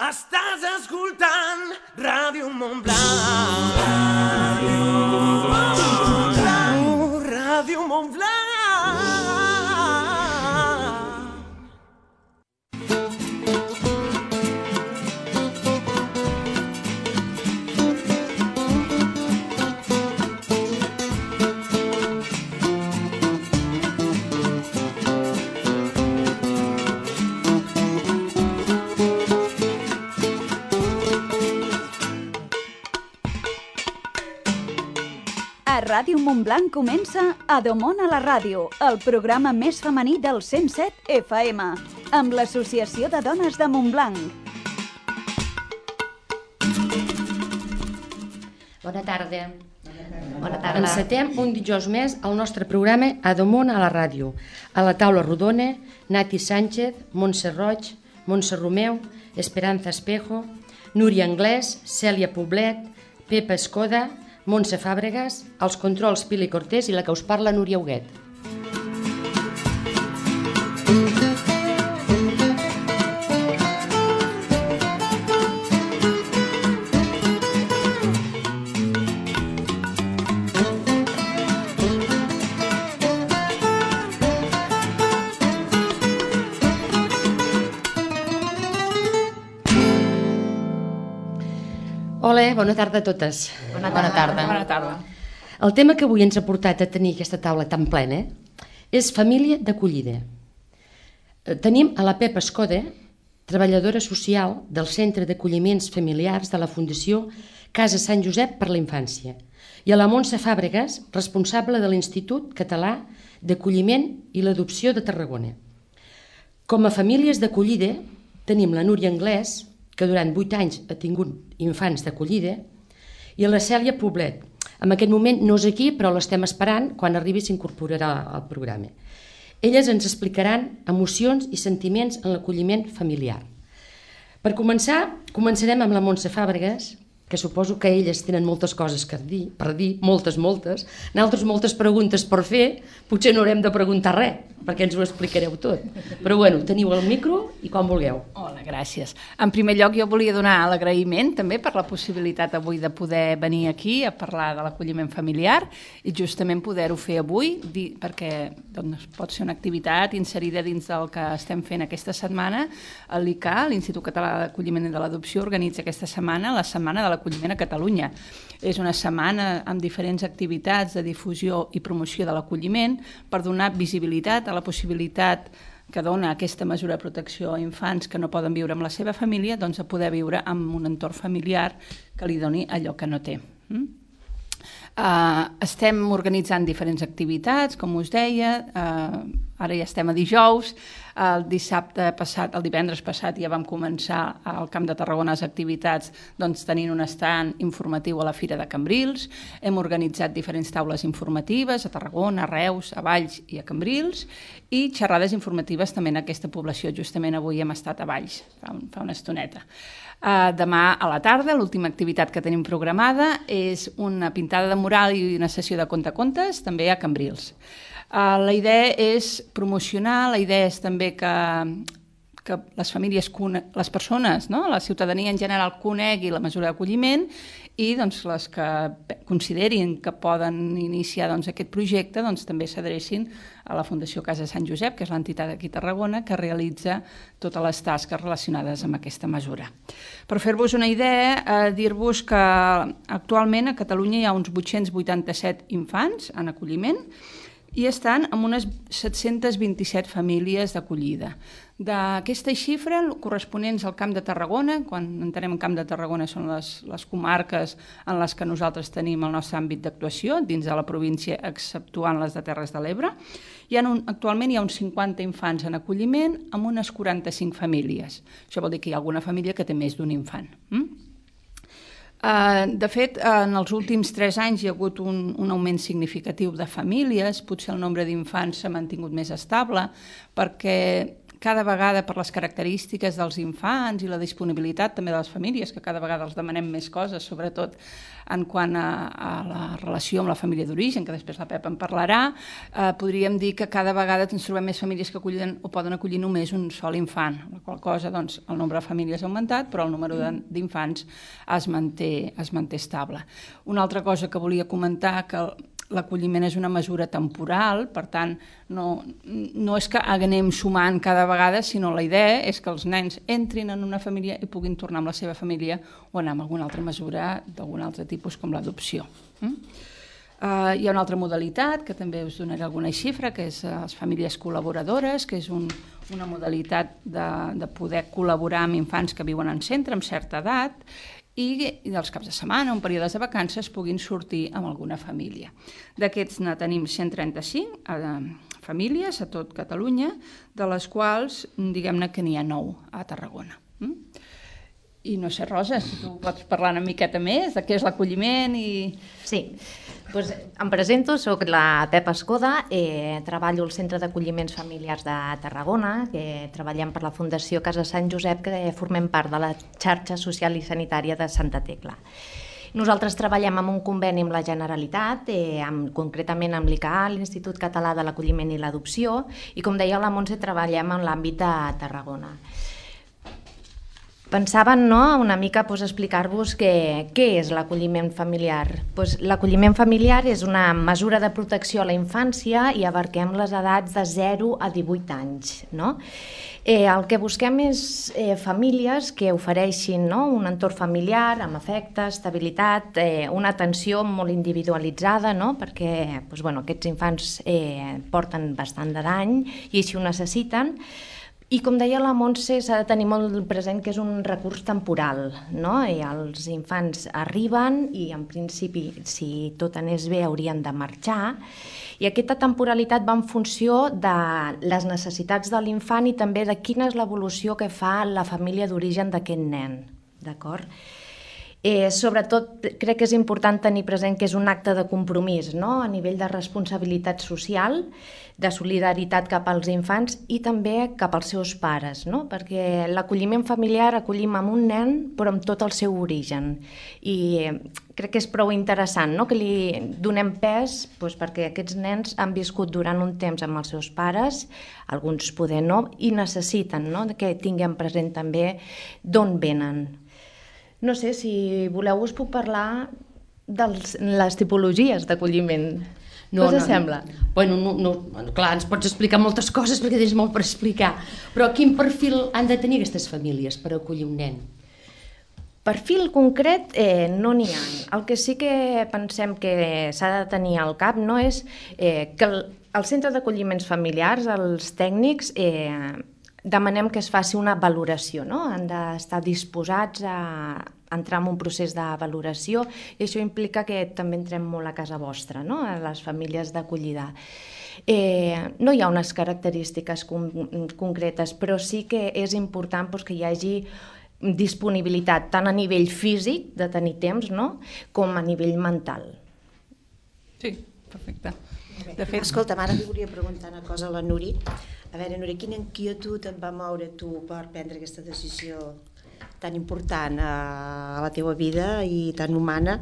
Estàs escoltant Ràdio Montblanc. Ràdio Montblanc. A Ràdio Montblanc comença Adomon a la ràdio, el programa més femení del 107 FM, amb l'Associació de Dones de Montblanc. Bona tarda. Bona tarda. Encetem un dijous més el nostre programa Adomon a la ràdio. A la taula rodona, Nati Sánchez, Montse Roig, Montse Romeu, Esperanza Espejo, Núria Anglès, Cèlia Poblet, Pepa Escoda, Montse Fàbregas, els controls Pili Cortés i la que us parla Núria Huguet. Hola, bona tarda a totes. Bona tarda. Bona tarda. El tema que avui ens ha portat a tenir aquesta taula tan plena és família d'acollida. Tenim a la Pepa Escoda, treballadora social del Centre d'Acolliments Familiars de la Fundació Casa Sant Josep per la Infància, i a la Montse Fàbregas, responsable de l'Institut Català d'Acolliment i l'Adopció de Tarragona. Com a famílies d'acollida tenim la Núria Anglès, que durant 8 anys ha tingut infants d'acollida, i la Cèlia Poblet. En aquest moment no és aquí, però l'estem esperant, quan arribi s'incorporarà al programa. Elles ens explicaran emocions i sentiments en l'acolliment familiar. Per començar, començarem amb la Montse Fàbregas, que suposo que elles tenen moltes coses per dir, moltes. Nosaltres moltes preguntes per fer, potser no haurem de preguntar res, perquè ens ho explicareu tot. Però bueno, teniu el micro i quan vulgueu. Hola, gràcies. En primer lloc jo volia donar l'agraïment també per la possibilitat avui de poder venir aquí a parlar de l'acolliment familiar i justament poder-ho fer avui perquè doncs, pot ser una activitat inserida dins del que estem fent aquesta setmana. L'ICA, l'Institut Català d'Acolliment i de l'Adopció, organitza aquesta setmana la Setmana de l'Acolliment a Catalunya. És una setmana amb diferents activitats de difusió i promoció de l'acolliment per donar visibilitat a la possibilitat que dona aquesta mesura de protecció a infants que no poden viure amb la seva família, doncs a poder viure en un entorn familiar que li doni allò que no té. Estem organitzant diferents activitats, com us deia, ara ja estem a dijous, el divendres passat ja vam començar al Camp de Tarragona les activitats tenint un estand informatiu a la Fira de Cambrils, hem organitzat diferents taules informatives a Tarragona, a Reus, a Valls i a Cambrils, i xerrades informatives també en aquesta població, justament avui hem estat a Valls, fa una estoneta. Demà a la tarda, l'última activitat que tenim programada és una pintada de mural i una sessió de contacontes, també a Cambrils. La idea és promocionar, la idea és també que les famílies, les persones, no? La ciutadania en general conegui la mesura d'acolliment i les que considerin que poden iniciar aquest projecte també s'adrecin a la Fundació Casa Sant Josep, que és l'entitat aquí a Tarragona, que realitza totes les tasques relacionades amb aquesta mesura. Per fer-vos una idea, dir-vos que actualment a Catalunya hi ha uns 887 infants en acolliment i estan en unes 727 famílies d'acollida. D'aquesta xifra, corresponents al Camp de Tarragona, quan entenem en Camp de Tarragona són les comarques en les que nosaltres tenim el nostre àmbit d'actuació, dins de la província, exceptuant les de Terres de l'Ebre, actualment hi ha uns 50 infants en acolliment amb unes 45 famílies. Això vol dir que hi ha alguna família que té més d'un infant. De fet, en els últims 3 anys hi ha hagut un augment significatiu de famílies, potser el nombre d'infants s'ha mantingut més estable, perquè cada vegada per les característiques dels infants i la disponibilitat també de les famílies, que cada vegada els demanem més coses, sobretot en quant a la relació amb la família d'origen, que després la Pepa en parlarà, podríem dir que cada vegada ens trobem més famílies que acullen o poden acollir només un sol infant, la qual cosa, doncs, el nombre de famílies ha augmentat, però el número d'infants es manté estable. Una altra cosa que volia comentar, que l'acolliment és una mesura temporal, per tant, no és que anem sumant cada vegada, sinó la idea és que els nens entrin en una família i puguin tornar amb la seva família o anar amb alguna altra mesura d'algun altre tipus, com l'adopció. Hi ha una altra modalitat, que també us donaré alguna xifra, que és les famílies col·laboradores, que és una modalitat de poder col·laborar amb infants que viuen en centre amb certa edat, i dels caps de setmana o en períodes de vacances puguin sortir amb alguna família. D'aquests ne tenim 135 famílies a tot Catalunya, de les quals diguem-ne que n'hi ha 9 a Tarragona. I no sé, Rosa, si tu pots parlar una miqueta més de què és l'acolliment i... Sí, doncs em presento, soc la Pepa Escoda, treballo al Centre d'Acolliments Familiars de Tarragona, que treballem per la Fundació Casa Sant Josep, que formem part de la xarxa social i sanitària de Santa Tecla. Nosaltres treballem amb un conveni amb la Generalitat, concretament amb l'ICA, l'Institut Català de l'Acolliment i l'Adopció, i com deia la Montse, treballem en l'àmbit de Tarragona. Pensaven una mica explicar-vos què és l'acolliment familiar. L'acolliment familiar és una mesura de protecció a la infància i abarquem les edats de 0 a 18 anys. El que busquem és famílies que ofereixin un entorn familiar amb afecte, estabilitat, una atenció molt individualitzada, perquè aquests infants porten bastant de dany i així ho necessiten. I com deia la Montse, s'ha de tenir molt present que és un recurs temporal, I els infants arriben i en principi, si tot anés bé, haurien de marxar, i aquesta temporalitat va en funció de les necessitats de l'infant i també de quina és l'evolució que fa la família d'origen d'aquest nen, d'acord? Sobretot crec que és important tenir present que és un acte de compromís, a nivell de responsabilitat social, de solidaritat cap als infants i també cap als seus pares, perquè l'acolliment familiar acollim amb un nen però amb tot el seu origen, i crec que és prou interessant que li donem pes perquè aquests nens han viscut durant un temps amb els seus pares, alguns poder no, i necessiten que tinguem present també d'on venen. No sé, si voleu us puc parlar de les tipologies d'acolliment. Què us sembla? Clar, ens pots explicar moltes coses perquè tens molt per explicar, però quin perfil han de tenir aquestes famílies per acollir un nen? Perfil concret no n'hi ha. El que sí que pensem que s'ha de tenir al cap és que el centre d'acolliments familiars, els tècnics, demanem que es faci una valoració, han d'estar disposats a entrar en un procés de valoració i això implica que també entrem molt a casa vostra, a les famílies d'acollida. No hi ha unes característiques concretes, però sí que és important que hi hagi disponibilitat tant a nivell físic, de tenir temps, com a nivell mental. Sí, perfecte. Escolta, ara li volia preguntar una cosa a la Nuri. A veure, Nuri, quina inquietud et va moure tu per prendre aquesta decisió tan important a la teva vida i tan humana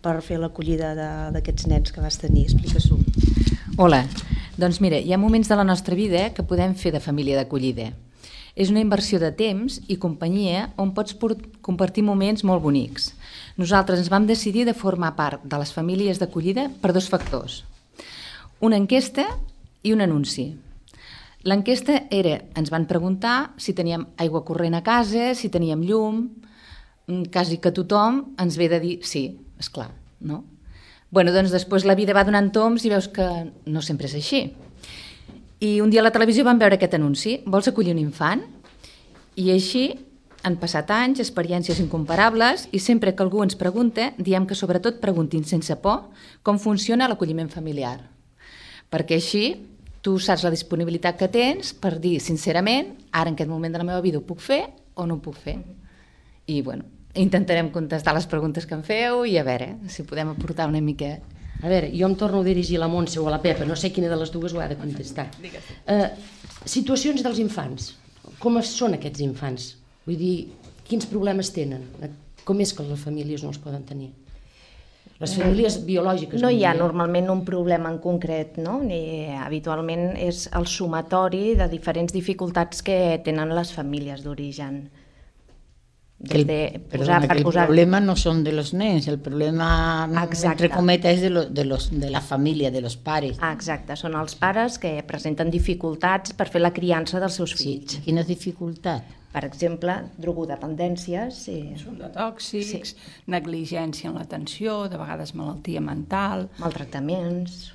per fer l'acollida d'aquests nens que vas tenir? Explica-s'ho. Hola, doncs mira, hi ha moments de la nostra vida que podem fer de família d'acollida. És una inversió de temps i companyia on pots compartir moments molt bonics. Nosaltres ens vam decidir de formar part de les famílies d'acollida per 2 factors. Una enquesta i un anunci. L'enquesta era, ens van preguntar si teníem aigua corrent a casa, si teníem llum, quasi que tothom ens ve de dir sí, esclar, no? Doncs després la vida va donant toms i veus que no sempre és així. I un dia a la televisió vam veure aquest anunci, vols acollir un infant? I així han passat anys, experiències incomparables, i sempre que algú ens pregunta, diem que sobretot preguntin sense por com funciona l'acolliment familiar. Perquè així tu saps la disponibilitat que tens per dir sincerament, ara en aquest moment de la meva vida ho puc fer o no ho puc fer. I intentarem contestar les preguntes que em feu i a veure si podem aportar una mica. A veure, jo em torno a dirigir a la Montse o a la Pepa, no sé quina de les dues ho ha de contestar. Situacions dels infants. com són aquests infants? Vull dir, quins problemes tenen? Com és que les famílies no els poden tenir? Les famílies biològiques. No hi ha normalment un problema en concret, no? Habitualment és el sumatori de diferents dificultats que tenen les famílies d'origen. El problema no son de los nens, el problema, entre cometas, és de la família, de los pares. Exacte, són els pares que presenten dificultats per fer la criança dels seus fills. Quina dificultat? Per exemple, drogodependències. Consum de tòxics, negligència en l'atenció, de vegades malaltia mental. Maltractaments.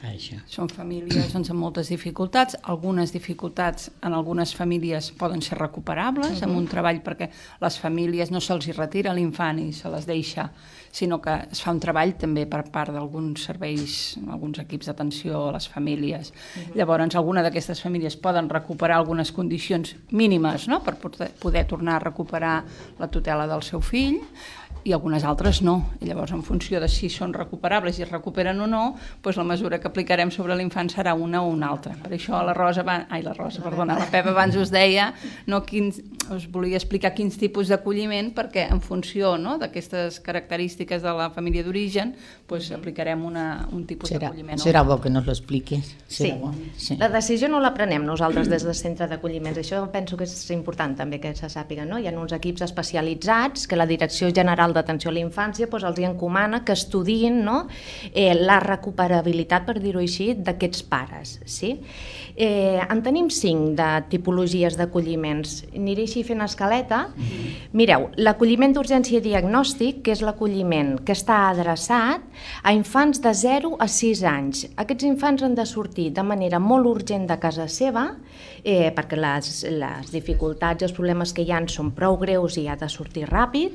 Això. Són famílies amb moltes dificultats. Algunes dificultats en algunes famílies poden ser recuperables amb un treball, perquè les famílies no se'ls retira l'infant i se les deixa, sinó que es fa un treball també per part d'alguns serveis, alguns equips d'atenció a les famílies. Llavors, alguna d'aquestes famílies poden recuperar algunes condicions mínimes, no?, per poder tornar a recuperar la tutela del seu fill, i algunes altres no. I llavors, en funció de si són recuperables i es recuperen o no, doncs la mesura que aplicarem sobre l'infant serà una o una altra. Per això la Pepa abans us deia, us volia explicar quins tipus d'acolliment, perquè en funció d'aquestes característiques de la família d'origen, doncs aplicarem un tipus d'acolliment. Serà bo que nos lo expliques. Sí. La decisió no la prenem nosaltres des del centre d'acolliments. Això penso que és important també que se sàpiga. Hi ha uns equips especialitzats que la Direcció General d'Atenció a la Infància els encomana que estudiïn la recuperabilitat, per dir-ho així, d'aquests pares. En tenim 5 de tipologies d'acolliments. Aniré així fent escaleta. Mireu, l'acolliment d'urgència i diagnòstic, que és l'acolliment que està adreçat a infants de 0 a 6 anys. Aquests infants han de sortir de manera molt urgent de casa seva, perquè les dificultats i els problemes que hi ha són prou greus i ha de sortir ràpid,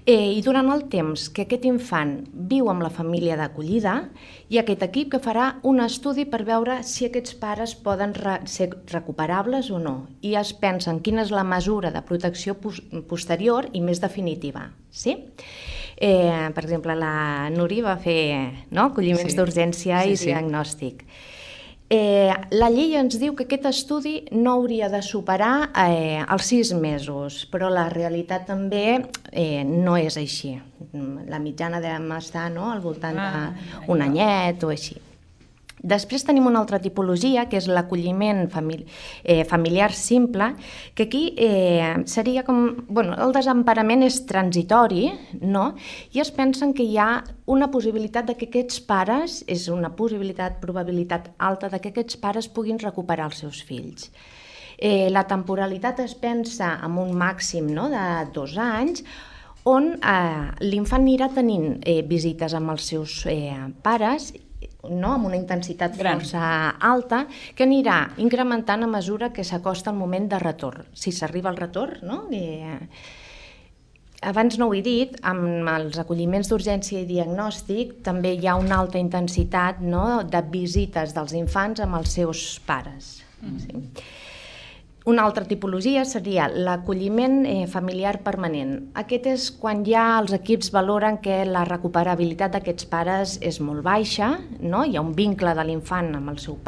i durant el temps que aquest infant viu amb la família d'acollida, hi ha aquest equip que farà un estudi per veure si aquests pares poden ser recuperables o no, i es pensa en quina és la mesura de protecció posterior i més definitiva. Per exemple, la Nuri va fer acolliments d'urgència i diagnòstic. La llei ens diu que aquest estudi no hauria de superar els 6 mesos, però la realitat també no és així. La mitjana devem estar al voltant d'un anyet o així. Després tenim una altra tipologia, que és l'acolliment familiar simple, que aquí seria com... el desemparament és transitori, i es pensen que hi ha una possibilitat de que aquests pares, és una probabilitat alta de que aquests pares puguin recuperar els seus fills. La temporalitat es pensa en un màxim de 2 anys, on l'infant anirà tenint visites amb els seus pares, amb una intensitat força alta, que anirà incrementant a mesura que s'acosta el moment de retorn. Si s'arriba al retorn, abans no ho he dit, amb els acolliments d'urgència i diagnòstic també hi ha una alta intensitat de visites dels infants amb els seus pares. Una altra tipologia seria l'acolliment familiar permanent. Aquest és quan ja els equips valoren que la recuperabilitat d'aquests pares és molt baixa, hi ha un vincle de l'infant amb els seus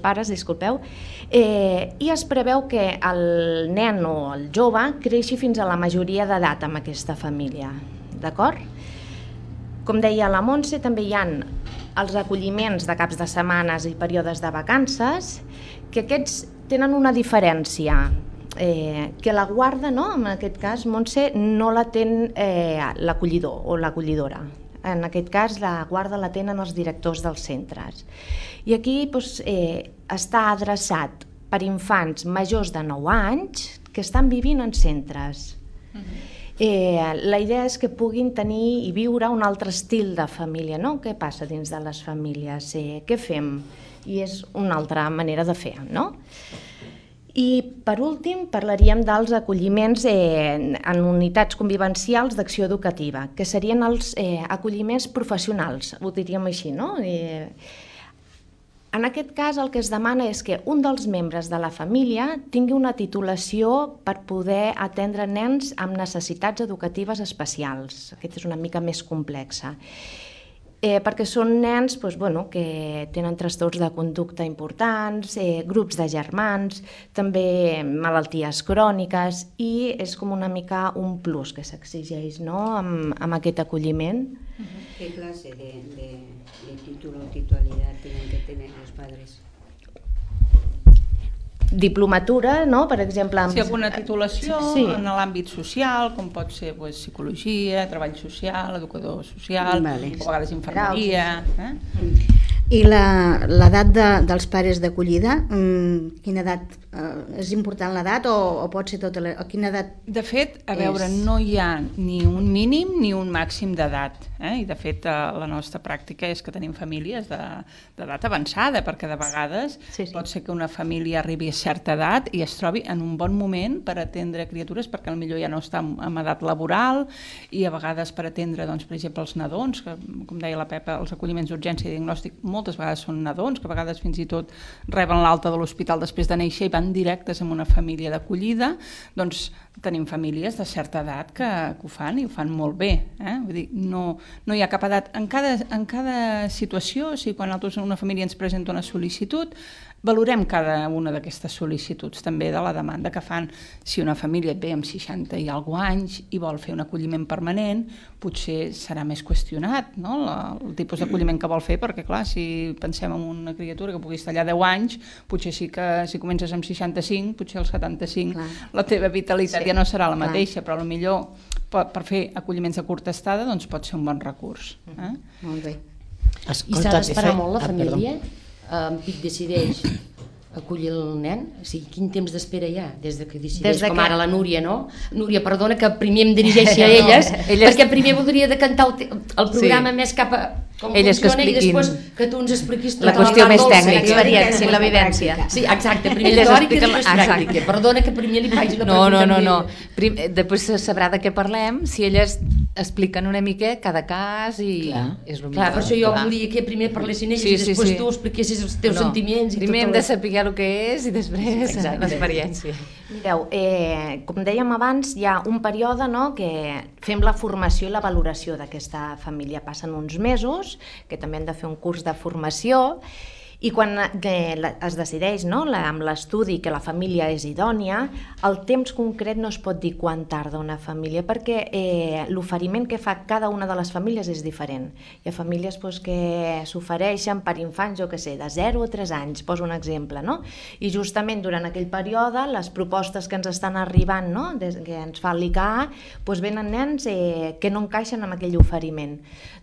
pares, i es preveu que el nen o el jove creixi fins a la majoria d'edat amb aquesta família. D'acord? Com deia la Montse, també hi ha els acolliments de caps de setmanes i períodes de vacances, que aquests tenen una diferència, que la guarda, en aquest cas, Montse, no la ten l'acollidor o l'acollidora. En aquest cas, la guarda la tenen els directors dels centres. I aquí està adreçat per infants majors de 9 anys que estan vivint en centres. La idea és que puguin tenir i viure un altre estil de família, Què passa dins de les famílies? Què fem? I és una altra manera de fer, I, per últim, parlaríem dels acolliments en unitats convivencials d'acció educativa, que serien els acolliments professionals, ho diríem així, En aquest cas, el que es demana és que un dels membres de la família tingui una titulació per poder atendre nens amb necessitats educatives especials. Aquesta és una mica més complexa. perquè són nens que tenen trastorns de conducta importants, grups de germans, també malalties cròniques, i és com una mica un plus que s'exigeix, no?, amb aquest acolliment. ¿Qué clase de título o titularidad tienen que tener los padres? Diplomatura, no?, per exemple... Sí, alguna titulació en l'àmbit social, com pot ser psicologia, treball social, educador social, o a vegades infermeria... I l'edat dels pares d'acollida, quina edat? És important l'edat o pot ser tota a quina edat? De fet, a veure, no hi ha ni un mínim ni un màxim d'edat, i de fet la nostra pràctica és que tenim famílies d'edat avançada, perquè de vegades pot ser que una família arribi a certa edat i es trobi en un bon moment per atendre criatures, perquè potser ja no està en edat laboral, i a vegades per atendre, doncs, per exemple, els nadons, que, com deia la Pepa, els acolliments d'urgència i diagnòstic moltes vegades són nadons, que a vegades fins i tot reben l'alta de l'hospital després de néixer i van directes en una família d'acollida. Doncs tenim famílies de certa edat que ho fan i ho fan molt bé. Vull dir, no hi ha cap edat. En cada situació, o sigui, quan una família ens presenta una sol·licitud, valorem cada una d'aquestes sol·licituds, també de la demanda que fan. Si una família et ve amb 60 i alguna anys i vol fer un acolliment permanent, potser serà més qüestionat, no?, el tipus d'acolliment que vol fer, perquè clar, si pensem en una criatura que pugui estar allà 10 anys, potser sí que si comences amb 65, potser als 75 la teva vitalitat ja no serà la mateixa, però potser per fer acolliments de curta estada doncs pot ser un bon recurs. Molt bé. I s'ha d'esperar molt la família? En Pic decideix acollir el nen? O sigui, quin temps d'espera hi ha des que decideix, com ara la Núria, no? Núria, perdona que primer em dirigeixi a elles, perquè primer voldria decantar el programa més cap a com funciona i després que tu ens expliquis la qüestió més tècnica, l'experiència, la vivència. Sí, exacte, primer teòric i després pràctica. Perdona que primer li faig la pregunta. No. Després se sabrà de què parlem, si elles expliquen una mica cada cas i és el millor. Clar, per això jo volia que primer parlessin elles i després tu expliquessis els teus sentiments. Primer hem de saber el que és i després l'experiència. Mireu, com dèiem abans, hi ha un període que fem la formació i la valoració d'aquesta família. Passen uns mesos, que també han de fer un curs de formació, i quan es decideix amb l'estudi que la família és idònia, el temps concret no es pot dir quan tarda una família, perquè l'oferiment que fa cada una de les famílies és diferent. Hi ha famílies que s'ofereixen per infants, jo què sé, de 0 a 3 anys, poso un exemple, i justament durant aquell període les propostes que ens estan arribant, que ens fa l'ICA, venen nens que no encaixen amb aquell oferiment.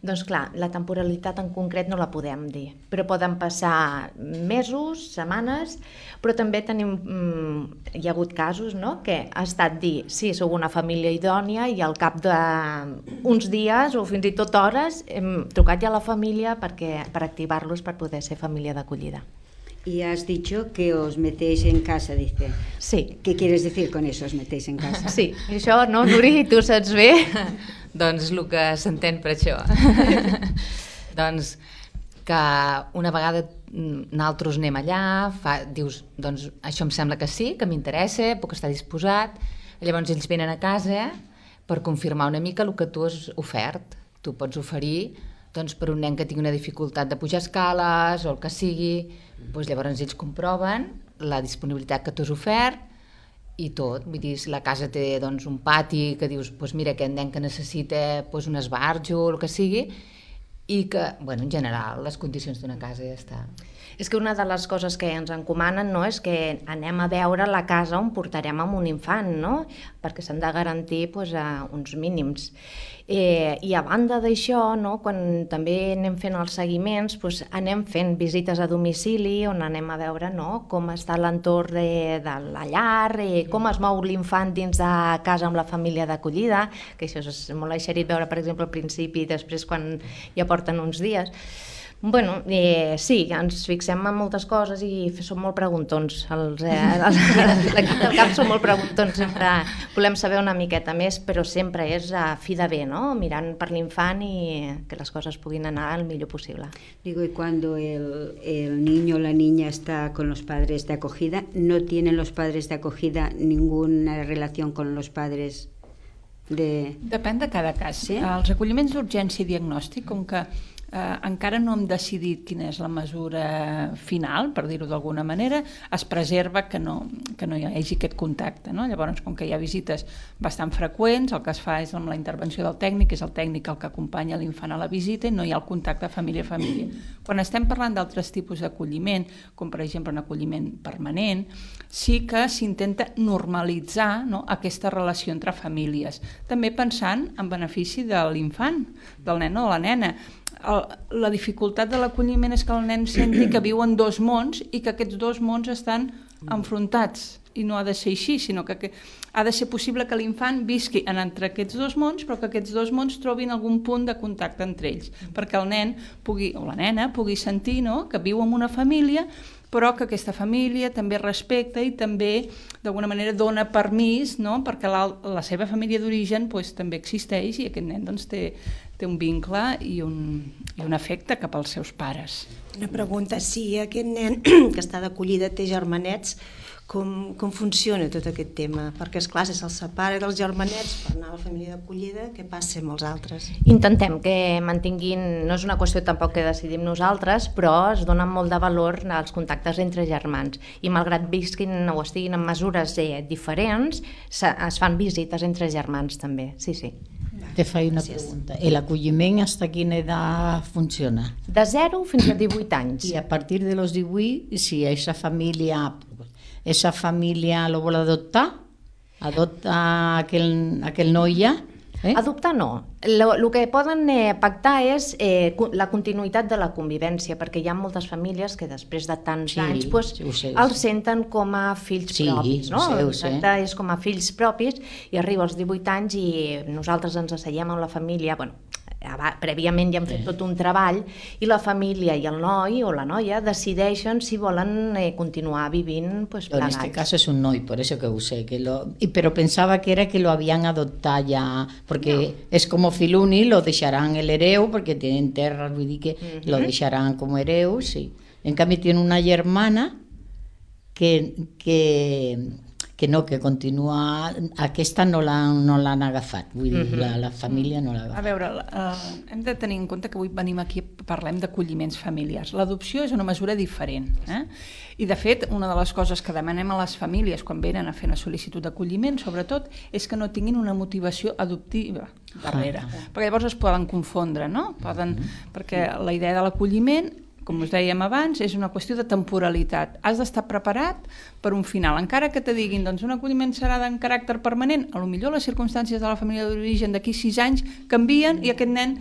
Doncs clar, la temporalitat en concret no la podem dir, però poden passar mesos, setmanes, però també hi ha hagut casos que ha estat dir, sí, sou una família idònia, i al cap d'uns dies o fins i tot hores hem trucat ja a la família per activar-los per poder ser família d'acollida. Y has dicho que os metéis en casa, dice. Sí. ¿Qué quieres decir con eso, os metéis en casa? Sí, això, no, Nuri, tu saps bé? Doncs el que s'entén per això. Doncs que una vegada nosaltres anem allà, dius, doncs això em sembla que sí, que m'interessa, puc estar disposat, llavors ells venen a casa per confirmar una mica el que tu has ofert. Tu pots oferir per un nen que tingui una dificultat de pujar escales o el que sigui, llavors ells comproven la disponibilitat que tu has ofert i tot. Vull dir, si la casa té un pati que dius, mira, aquest nen que necessita un esbarjo o el que sigui, i que, en general, les condicions d'una casa ja està. És que una de les coses que ens encomanen és que anem a veure la casa on portarem amb un infant, perquè s'han de garantir uns mínims. I a banda d'això, quan també anem fent els seguiments, anem fent visites a domicili on anem a veure com està l'entorn de la llar, com es mou l'infant dins de casa amb la família d'acollida, que això és molt eixerit veure, per exemple, al principi i després quan ja porten uns dies. Sí, ens fixem en moltes coses i som molt preguntons. L'equip del CAP som molt preguntons, sempre volem saber una miqueta més, però sempre és a fi de bé, mirant per l'infant i que les coses puguin anar el millor possible. Digo, y cuando el niño o la niña está con los padres de acogida, ¿no tienen los padres de acogida ninguna relación con los padres de...? Depèn de cada cas. Els acolliments d'urgència i diagnòstic, com que encara no hem decidit quina és la mesura final, per dir-ho d'alguna manera, es preserva que no hi hagi aquest contacte, no? Llavors, com que hi ha visites bastant freqüents, el que es fa és amb la intervenció del tècnic, és el tècnic el que acompanya l'infant a la visita i no hi ha el contacte família a família. Quan estem parlant d'altres tipus d'acolliment, com per exemple un acolliment permanent, sí que s'intenta normalitzar, no, aquesta relació entre famílies, també pensant en benefici de l'infant, del nen o de la nena. La dificultat de l'acolliment és que el nen senti que viu en dos mons i que aquests dos mons estan enfrontats, i no ha de ser així, sinó que ha de ser possible que l'infant visqui entre aquests dos mons, però que aquests dos mons trobin algun punt de contacte entre ells, perquè el nen o la nena pugui sentir, no?, que viu en una família, però que aquesta família també respecta i també d'alguna manera dona permís, no?, perquè la seva família d'origen també existeix i aquest nen té un vincle i un afecte cap als seus pares. Una pregunta, si aquest nen que està d'acollida té germanets, com funciona tot aquest tema? Perquè, esclar, si se'ls separa dels germanets per anar a la família d'acollida, què passa amb els altres? Intentem que mantinguin, no és una qüestió tampoc que decidim nosaltres, però es dona molt de valor als contactes entre germans i malgrat visquin o estiguin en mesures diferents, es fan visites entre germans també, sí. Te faig una pregunta. L'acolliment fins a quina edat funciona? De 0 fins a 18 anys. I a partir de los 18, si esa família lo vol adoptar aquell noi ja? Adoptar no. El que poden pactar és la continuïtat de la convivència, perquè hi ha moltes famílies que després de tants anys els senten com a fills propis. El tracte és com a fills propis i arriba als 18 anys i nosaltres ens asseiem amb la família, prèviament ja hem fet tot un treball i la família i el noi o la noia decideixen si volen continuar vivint plegats. En este caso es un noi, por eso que usé, pero pensaba que era que lo habían adoptado ya, porque es como fill únic, lo deixaran el hereu, porque tienen terras, vull dir que lo deixaran como hereu, sí. En cambio tiene una germana que continua, aquesta no l'han agafat, vull dir, la família no l'ha agafat. A veure, hem de tenir en compte que avui venim aquí i parlem d'acolliments familiars. L'adopció és una mesura diferent, i de fet una de les coses que demanem a les famílies quan venen a fer una sol·licitud d'acolliment, sobretot, és que no tinguin una motivació adoptiva darrere, perquè llavors es poden confondre, no? Perquè la idea de l'acolliment, com us dèiem abans, és una qüestió de temporalitat. Has d'estar preparat per un final. Encara que te diguin, doncs un acolliment serà de caràcter permanent, potser les circumstàncies de la família d'origen d'aquí 6 anys canvien i aquest nen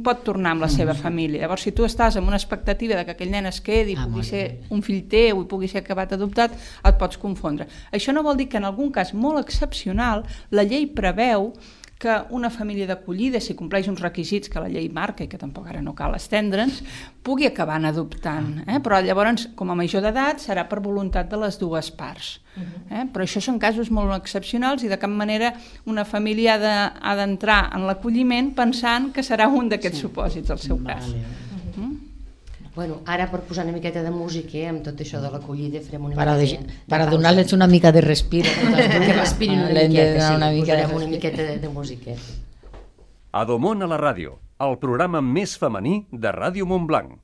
pot tornar amb la seva família. Llavors, si tu estàs amb una expectativa de que aquell nen es quedi, pugui ser un fill teu i pugui ser acabat adoptat, et pots confondre. Això no vol dir que en algun cas molt excepcional la llei preveu que una família d'acollida, si compleix uns requisits que la llei marca i que tampoc ara no cal estendre'ns, pugui acabar adoptant. Però llavors, com a major d'edat, serà per voluntat de les dues parts. Però això són casos molt excepcionals i de cap manera una família ha d'entrar en l'acolliment pensant que serà un d'aquests supòsits el seu cas. Bueno, ara per posar una miqueta de música amb tot això de l'acollida farem una miqueta para donar-les una mica de respiro que respirin una miqueta, posarem una miqueta de música. Adomon a la ràdio, el programa més femení de Ràdio Montblanc.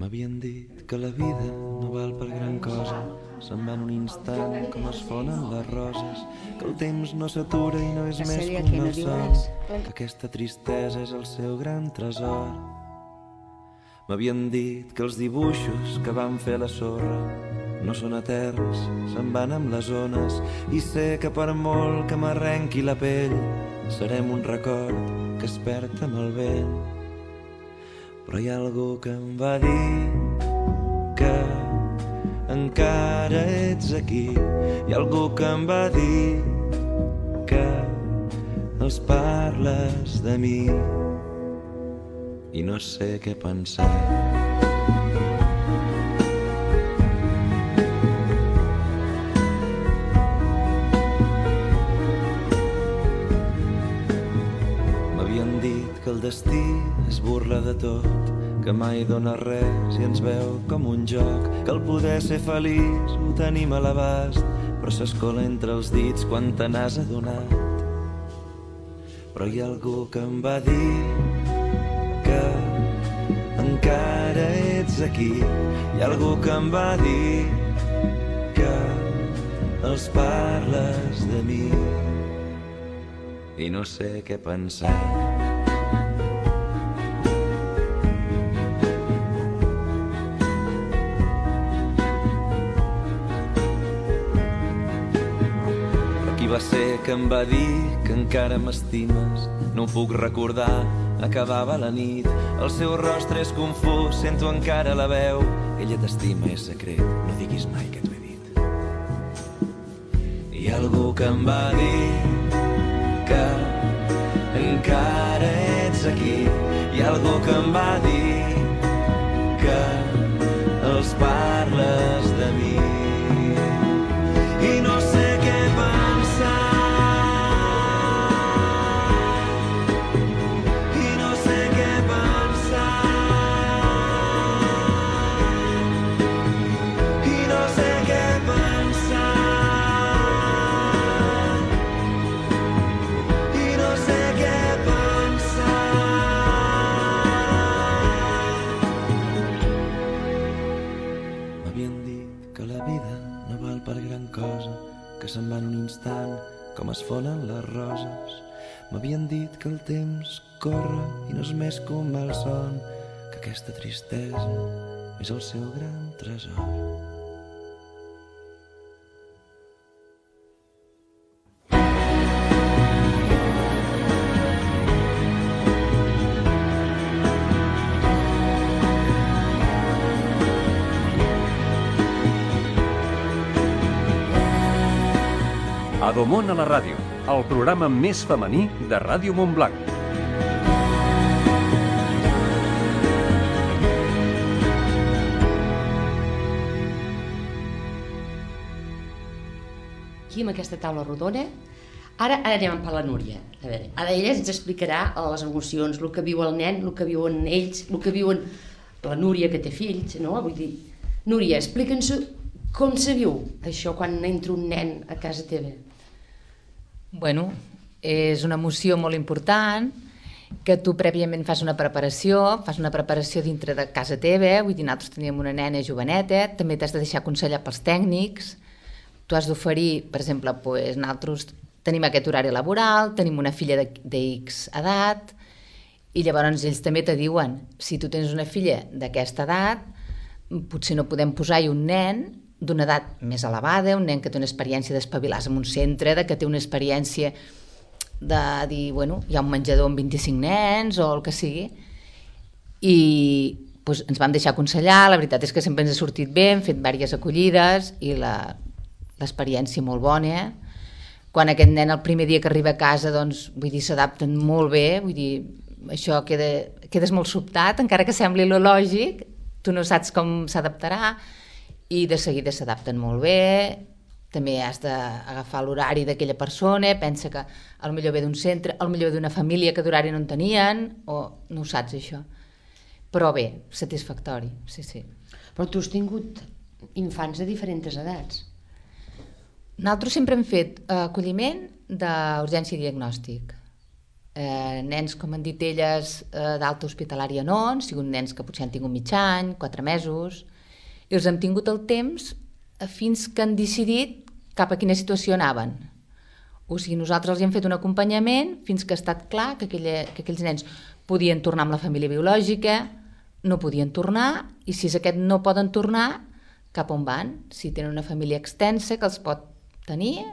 M'havien dit que la vida no val per gran cosa, se'n va en un instant com es fonen les roses, que el temps no s'atura i no és més que un malson, que aquesta tristesa és el seu gran tresor. M'havien dit que els dibuixos que van fer a la sorra no són eterns, se'n van amb les ones, i sé que per molt que m'arrenqui la pell serem un record que es perd amb el vent. Però hi ha algú que em va dir que encara ets aquí, hi ha algú que em va dir que els parles de mi i no sé què pensar. M'havien dit que el destí es burla de tot, que mai dona res i ens veu com un joc, que el poder ser feliç ho tenim a l'abast, però s'escola entre els dits quan te n'has adonat. Però hi ha algú que em va dir que encara ets aquí. Hi ha algú que em va dir que els parles de mi i no sé què pensar. Qui va ser que em va dir que encara m'estimes? No ho puc recordar, acabava la nit. El seu rostre és confús, sento encara la veu. Ella t'estima, és secret, no diguis mai que t'ho he dit. Hi ha algú que em va dir que encara ets aquí. Hi ha algú que em va dir que els parles de mi i no sé què pensar. I no sé què pensar. I no sé què pensar. I no sé què pensar. M'havien dit que la vida no val per gran cosa, que se'n va en un instant com es fonen les roses. M'havien dit que el temps corre i no és més que un malson, que aquesta tristesa és el seu gran tresor. Adomon a la ràdio, el programa més femení de Ràdio Montblanc. Aquí amb aquesta taula rodona, ara anem per la Núria. A veure, ara ella ens explicarà les emocions, el que viu el nen, el que viuen ells, el que viuen la Núria que té fills, no? Vull dir, Núria, explica'ns com se viu això quan entra un nen a casa teva. Bueno, és una emoció molt important, que tu prèviament fas una preparació dintre de casa teva, vull dir, nosaltres teníem una nena joveneta, també t'has de deixar aconsellar pels tècnics, tu has d'oferir, per exemple, doncs, nosaltres tenim aquest horari laboral, tenim una filla d'X edat, i llavors ells també te diuen, si tu tens una filla d'aquesta edat, potser no podem posar-hi un nen d'una edat més elevada, un nen que té una experiència d'espavilar-se en un centre, que té una experiència de dir, bueno, hi ha un menjador amb 25 nens o el que sigui, i doncs, ens vam deixar aconsellar, la veritat és que sempre ens ha sortit bé, hem fet diverses acollides i l'experiència molt bona. Quan aquest nen el primer dia que arriba a casa, doncs, vull dir, s'adapten molt bé, vull dir, això quedes molt sobtat, encara que sembli lo lògic, tu no saps com s'adaptarà, i de seguida s'adapten molt bé. També has d'agafar l'horari d'aquella persona, pensa que potser ve d'un centre, potser ve d'una família que d'horari no en tenien, o no ho saps això. Però bé, satisfactori, sí, sí. Però tu has tingut infants de diferents edats. Nosaltres sempre hem fet acolliment d'urgència i diagnòstic. Nens, com han dit elles, d'alta hospitalària no, han sigut nens que potser han tingut mig any, 4 mesos, i els hem tingut el temps fins que han decidit cap a quina situació anaven. O sigui, nosaltres els hem fet un acompanyament fins que ha estat clar que aquells nens podien tornar amb la família biològica, no podien tornar, i si és aquest no poden tornar, cap on van? Si tenen una família extensa que els pot tenir,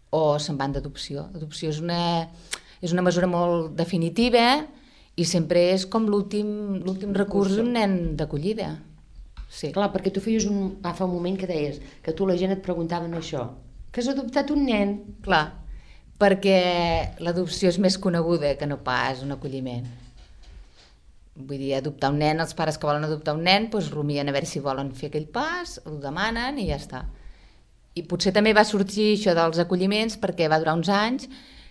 o se'n van d'adopció. L'adopció és una mesura molt definitiva i sempre és com l'últim recurs d'un nen d'acollida. Sí. Clar, perquè tu feies fa un moment que deies que tu la gent et preguntaven això, que has adoptat un nen. Clar, perquè l'adopció és més coneguda que no pas un acolliment. Vull dir, adoptar un nen, els pares que volen adoptar un nen, doncs rumien a veure si volen fer aquell pas, ho demanen i ja està. I potser també va sorgir això dels acolliments perquè va durar uns anys,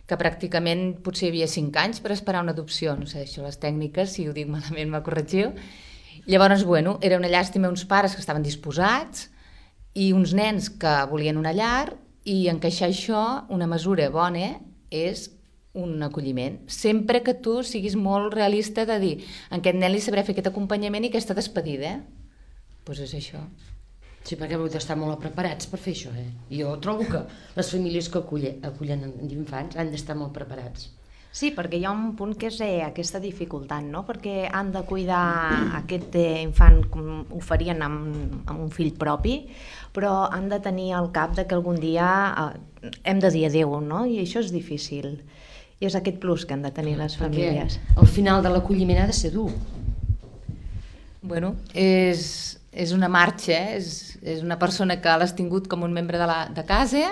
que pràcticament potser hi havia 5 anys per esperar una adopció. No sé, això les tècniques, si ho dic malament me corregiu. Llavors, bueno, era una llàstima uns pares que estaven disposats i uns nens que volien una llar, i encaixar això, una mesura bona, és un acolliment, sempre que tu siguis molt realista de dir en aquest nen li sabré fer aquest acompanyament i aquesta despedida. Doncs és això. Sí, perquè heu d'estar molt preparats per fer això, Jo trobo que les famílies que acullen infants han d'estar molt preparats. Sí, perquè hi ha un punt que és aquesta dificultat, no? Perquè han de cuidar aquest infant com ho farien amb un fill propi, però han de tenir al cap de que algun dia hem de dir adéu, no? I això és difícil. I és aquest plus que han de tenir les famílies. Perquè al final de l'acolliment ha de ser dur. Bueno, és una marxa, és una persona que l'has tingut com un membre de casa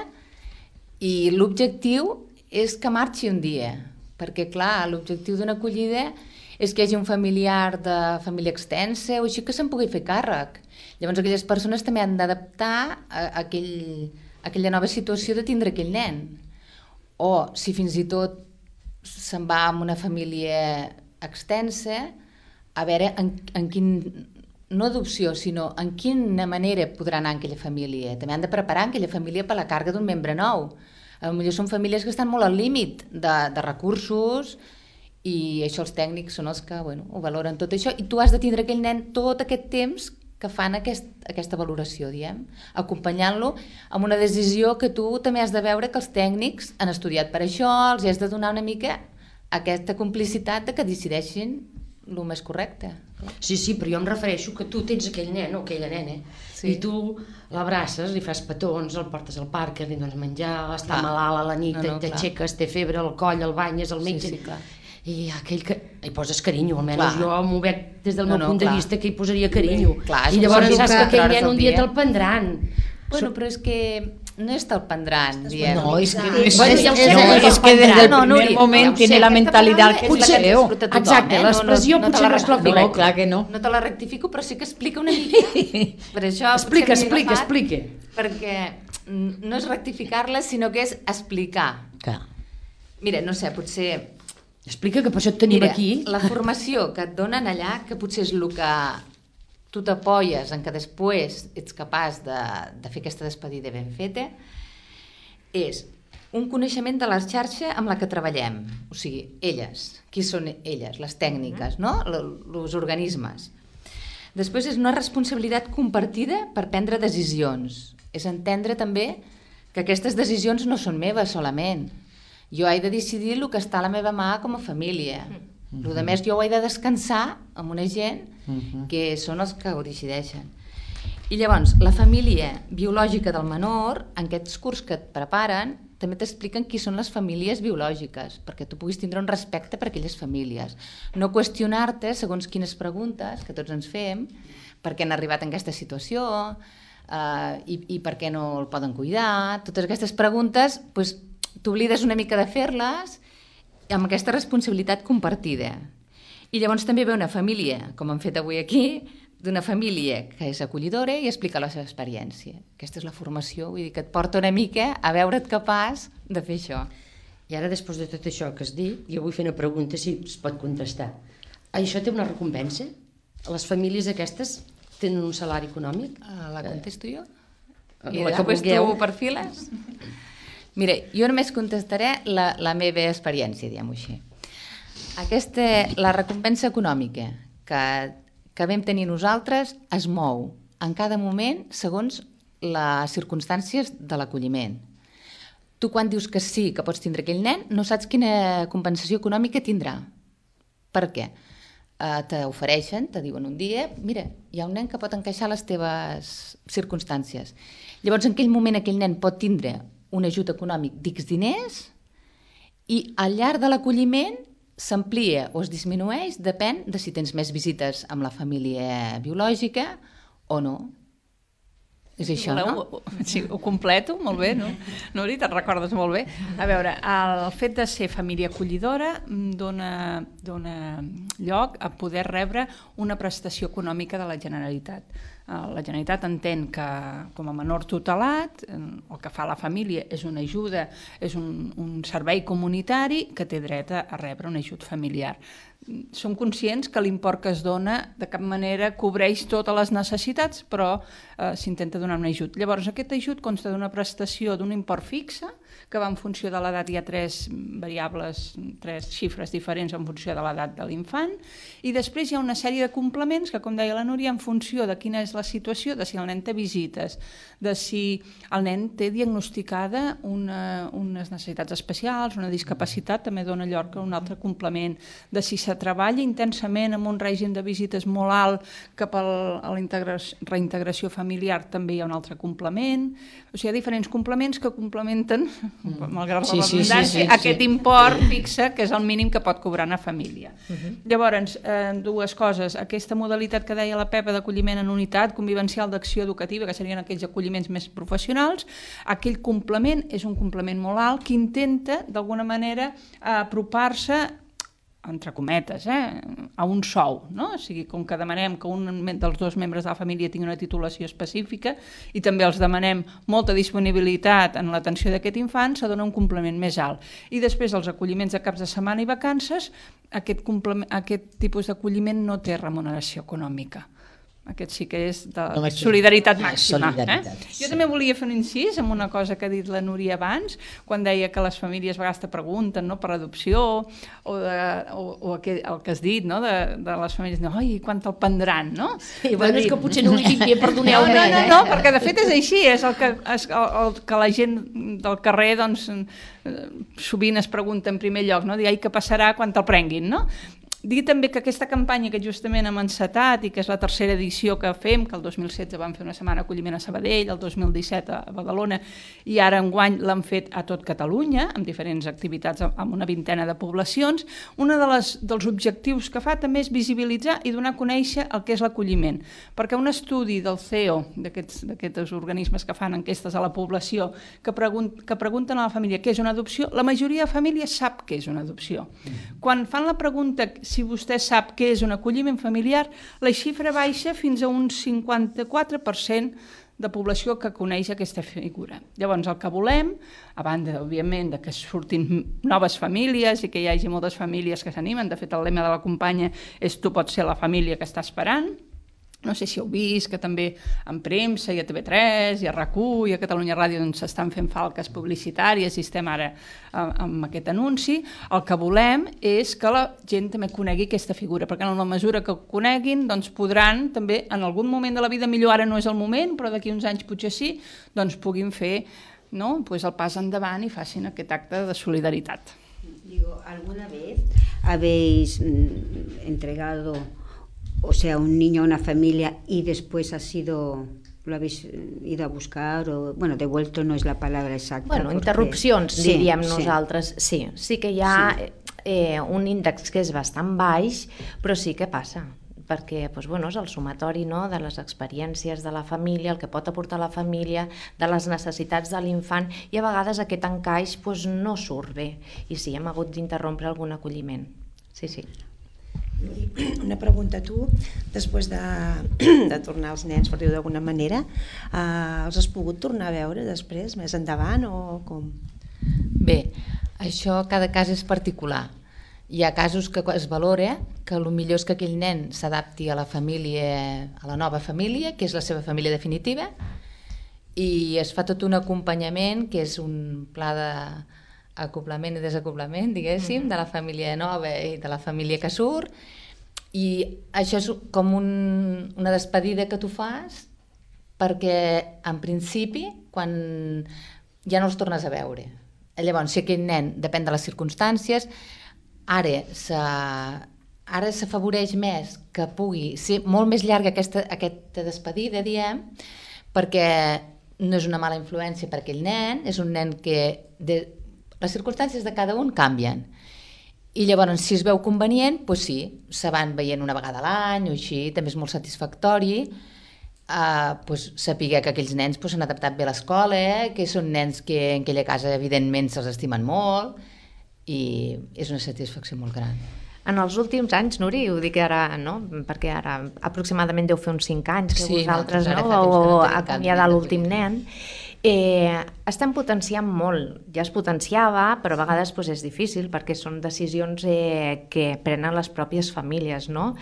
i l'objectiu és que marxi un dia, perquè clar, l'objectiu d'una acollida és que hi hagi un familiar de família extensa o així que se'n pugui fer càrrec. Llavors aquelles persones també han d'adaptar a aquella nova situació de tindre aquell nen. O si fins i tot se'n va amb una família extensa, a veure en quin, no adopció, sinó en quina manera podrà anar en aquella família. També han de preparar aquella família per la càrrega d'un membre nou. Potser són famílies que estan molt al límit de recursos i això els tècnics són els que ho valoren tot això i tu has de tindre aquell nen tot aquest temps que fan aquesta valoració, diem, acompanyant-lo amb una decisió que tu també has de veure que els tècnics han estudiat per això, els has de donar una mica aquesta complicitat de que decideixin el més correcte. Sí, però jo em refereixo que tu tens aquell nen o aquella nena i tu l'abraces, li fas petons, el portes al parc, li dones menjar, està malalt a la nit, t'aixeques, té febre, el coll, el banyes, el metge... I aquell que hi poses carinyo, almenys jo m'ho veig des del meu punt de vista que hi posaria carinyo. I llavors saps que aquell nen un dia te'l prendran. Bueno, però és que no és te'l prendran, diem. No, es que desde el primer moment tiene la mentalitat que potser exacte, l'expressió potser no és la correcta. No, clar que no. No te la rectifico, però sí que explica una mica. Per això explica. Perquè no és rectificar-la, sinó que és explicar. Mira, no sé, potser... Explica que per això et tenim aquí. La formació que et donen allà, que potser és el que tu t'apoies en que després ets capaç de fer aquesta despedida ben feta, és un coneixement de la xarxa amb la que treballem. O sigui, elles. Qui són elles? Les tècniques, no? Els organismes. Després és una responsabilitat compartida per prendre decisions. És entendre també que aquestes decisions no són meves solament. Jo he de decidir el que està a la meva mà com a família. El més jo ho he de descansar amb una gent que són els que ho decideixen. I llavors, la família biològica del menor, en aquests curs que et preparen, també t'expliquen qui són les famílies biològiques, perquè tu puguis tindre un respecte per aquelles famílies. No qüestionar-te, segons quines preguntes que tots ens fem, per què han arribat en aquesta situació i per què no el poden cuidar. Totes aquestes preguntes, doncs, t'oblides una mica de fer-les amb aquesta responsabilitat compartida. I llavors també ve una família, com hem fet avui aquí, d'una família que és acollidora i explica la seva experiència. Aquesta és la formació, vull dir que et porta una mica a veure't capaç de fer això. I ara, després de tot això que has dit, jo vull fer una pregunta, si es pot contestar. Això té una recompensa? Les famílies aquestes tenen un salari econòmic? La contesto jo? I després tu perfiles? Mira, jo només contestaré la meva experiència, diguem-ho així. La recompensa econòmica que vam tenir nosaltres es mou en cada moment segons les circumstàncies de l'acolliment. Tu quan dius que sí, que pots tindre aquell nen, no saps quina compensació econòmica tindrà. Per què? T'ofereixen, te diuen un dia, mira, hi ha un nen que pot encaixar les teves circumstàncies. Llavors, en aquell moment, aquell nen pot tindre un ajut econòmic d'X diners i al llarg de l'acolliment s'amplia o es disminueix, depèn de si tens més visites amb la família biològica o no. És això, no? Sí, ho completo, molt bé, no? Nuri, te'n recordes molt bé. A veure, el fet de ser família acollidora dona lloc a poder rebre una prestació econòmica de la Generalitat. La Generalitat entén que com a menor tutelat el que fa la família és una ajuda, és un servei comunitari que té dret a rebre un ajut familiar. Som conscients que l'import que es dona de cap manera cobreix totes les necessitats, però s'intenta donar un ajut. Llavors, aquest ajut consta d'una prestació d'un import fixe que va en funció de l'edat, hi ha 3 variables, 3 xifres diferents en funció de l'edat de l'infant, i després hi ha una sèrie de complements que, com deia la Núria, en funció de quina és la situació, de si el nen té visites, de si el nen té diagnosticada unes necessitats especials, una discapacitat, també dona lloc a un altre complement, de si se treballa intensament amb un règim de visites molt alt cap a la reintegració familiar, també hi ha un altre complement. O sigui, hi ha diferents complements que complementen, malgrat la redundància, aquest import fixe, que és el mínim que pot cobrar una família. Llavors, dues coses. Aquesta modalitat que deia la Pepa d'acolliment en unitat convivencial d'acció educativa, que serien aquells acolliments més professionals, aquell complement és un complement molt alt que intenta, d'alguna manera, apropar-se entre cometes, a un sou, no? O sigui, com que demanem que un dels 2 membres de la família tingui una titulació específica i també els demanem molta disponibilitat en l'atenció d'aquest infant, se dona un complement més alt. I després els acolliments de caps de setmana i vacances, aquest tipus d'acolliment no té remuneració econòmica. Aquest sí que és de solidaritat màxima. Jo també volia fer un incís en una cosa que ha dit la Núria abans, quan deia que les famílies a vegades te pregunten per adopció, o el que has dit, de les famílies, oi, quan te'l prendran, no? Sí, bueno, és que potser no ho dic bé, perdoneu-me. No, perquè de fet és així, és el que la gent del carrer, doncs, sovint es pregunta en primer lloc, no? Dir, ai, què passarà quan te'l prenguin, no? Dir també que aquesta campanya que justament hem encetat i que és la 3a edició que fem, que el 2016 vam fer una setmana d'acolliment a Sabadell, el 2017 a Badalona i ara enguany l'han fet a tot Catalunya, amb diferents activitats amb una 20ena de poblacions, un dels objectius que fa també és visibilitzar i donar a conèixer el que és l'acolliment. Perquè un estudi del CEO, d'aquests organismes que fan enquestes a la població, que pregunten a la família què és una adopció, la majoria de famílies sap què és una adopció. Quan fan la pregunta si vostè sap què és un acolliment familiar, la xifra baixa fins a un 54% de població que coneix aquesta figura. Llavors, el que volem, a banda, òbviament, que surtin noves famílies i que hi hagi moltes famílies que s'animen, de fet, el lema de la campanya és tu pots ser la família que està esperant. No sé si heu vist que també en premsa i a TV3 i a RAC1 i a Catalunya Ràdio s'estan fent falques publicitàries i estem ara amb aquest anunci. El que volem és que la gent també conegui aquesta figura, perquè en la mesura que ho coneguin doncs podran també en algun moment de la vida, millor ara no és el moment, però d'aquí uns anys potser sí, doncs puguin fer el pas endavant i facin aquest acte de solidaritat. Digo, ¿alguna vez habéis entregado un niño a una familia y después lo habéis ido a buscar o, devuelto no es la palabra exacta. Bueno, interrupcions, diríem nosaltres. Sí que hi ha un índex que és bastant baix, però sí que passa, perquè és el sumatori de les experiències de la família, el que pot aportar la família, de les necessitats de l'infant, i a vegades aquest encaix no surt bé, i sí, hem hagut d'interrompre algun acolliment. Sí. Una pregunta a tu, després de tornar els nens, per dir-ho d'alguna manera, els has pogut tornar a veure després, més endavant, o com? Bé, això cada cas és particular. Hi ha casos que es valora que el millor és que aquell nen s'adapti a la família, a la nova família, que és la seva família definitiva, i es fa tot un acompanyament, que és un pla d'acoblament i desacoblament, diguéssim, de la família nova i de la família que surt, i això és com una despedida que tu fas perquè, en principi, quan ja no els tornes a veure. Llavors, si aquell nen, depèn de les circumstàncies, ara s'afavoreix més que pugui ser molt més llarga aquesta despedida, diem, perquè no és una mala influència per aquell nen, és un nen que les circumstàncies de cada un canvien. I llavors, si es veu convenient, doncs sí, se van veient una vegada a l'any o així, també és molt satisfactori saber que aquells nens s'han adaptat bé a l'escola, que són nens que en aquella casa evidentment se'ls estimen molt, i és una satisfacció molt gran. En els últims anys, Nuri, ho dic ara, no? Perquè ara aproximadament deu fer uns 5 anys que vosaltres vau acomiadar l'últim nen, estem potenciant molt. Ja es potenciava, però a vegades és difícil perquè són decisions que prenen les pròpies famílies, no?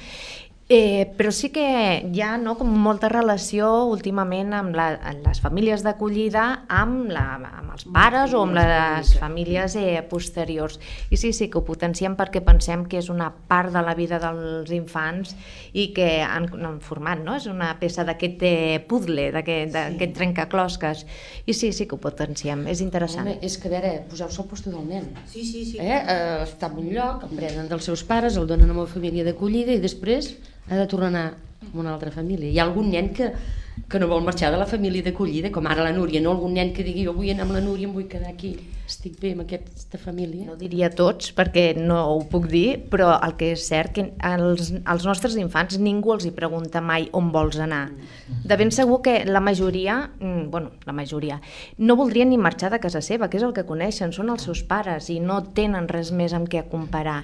Però sí que hi ha com molta relació últimament amb les famílies d'acollida amb els pares o amb les famílies posteriors. I sí que ho potenciem perquè pensem que és una part de la vida dels infants i que han format, no? És una peça d'aquest puzzle, d'aquest trencaclosques. I sí que ho potenciem, és interessant. Home, és que a veure, poseu-se al lloc del nen. Sí. Està en un lloc, el prenen dels seus pares, el donen a una família d'acollida i després ha de tornar a anar a una altra família. Hi ha algun nen que no vol marxar de la família d'acollida, com ara la Núria, no? Algun nen que digui, jo vull anar amb la Núria, em vull quedar aquí, estic bé amb aquesta família. No diria tots, perquè no ho puc dir, però el que és cert que als nostres infants ningú els hi pregunta mai on vols anar. De ben segur que la majoria no voldrien ni marxar de casa seva, que és el que coneixen, són els seus pares i no tenen res més amb què comparar.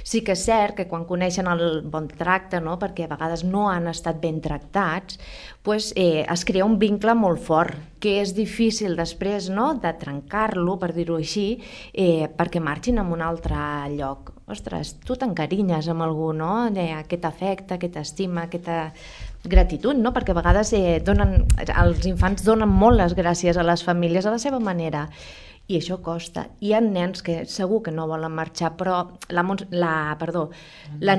Sí que és cert que quan coneixen el bon tracte, no? Perquè a vegades no han estat ben tractats, pues, es crea un vincle molt fort, que és difícil després, no?, de trencar-lo, per dir-ho així, perquè marxin a un altre lloc. Ostres, tu t'encarinyes amb algú, no?, aquest afecte, aquesta estima, aquesta gratitud, no?, perquè a vegades els infants donen molt les gràcies a les famílies a la seva manera. I això costa. Hi ha nens que segur que no volen marxar, però la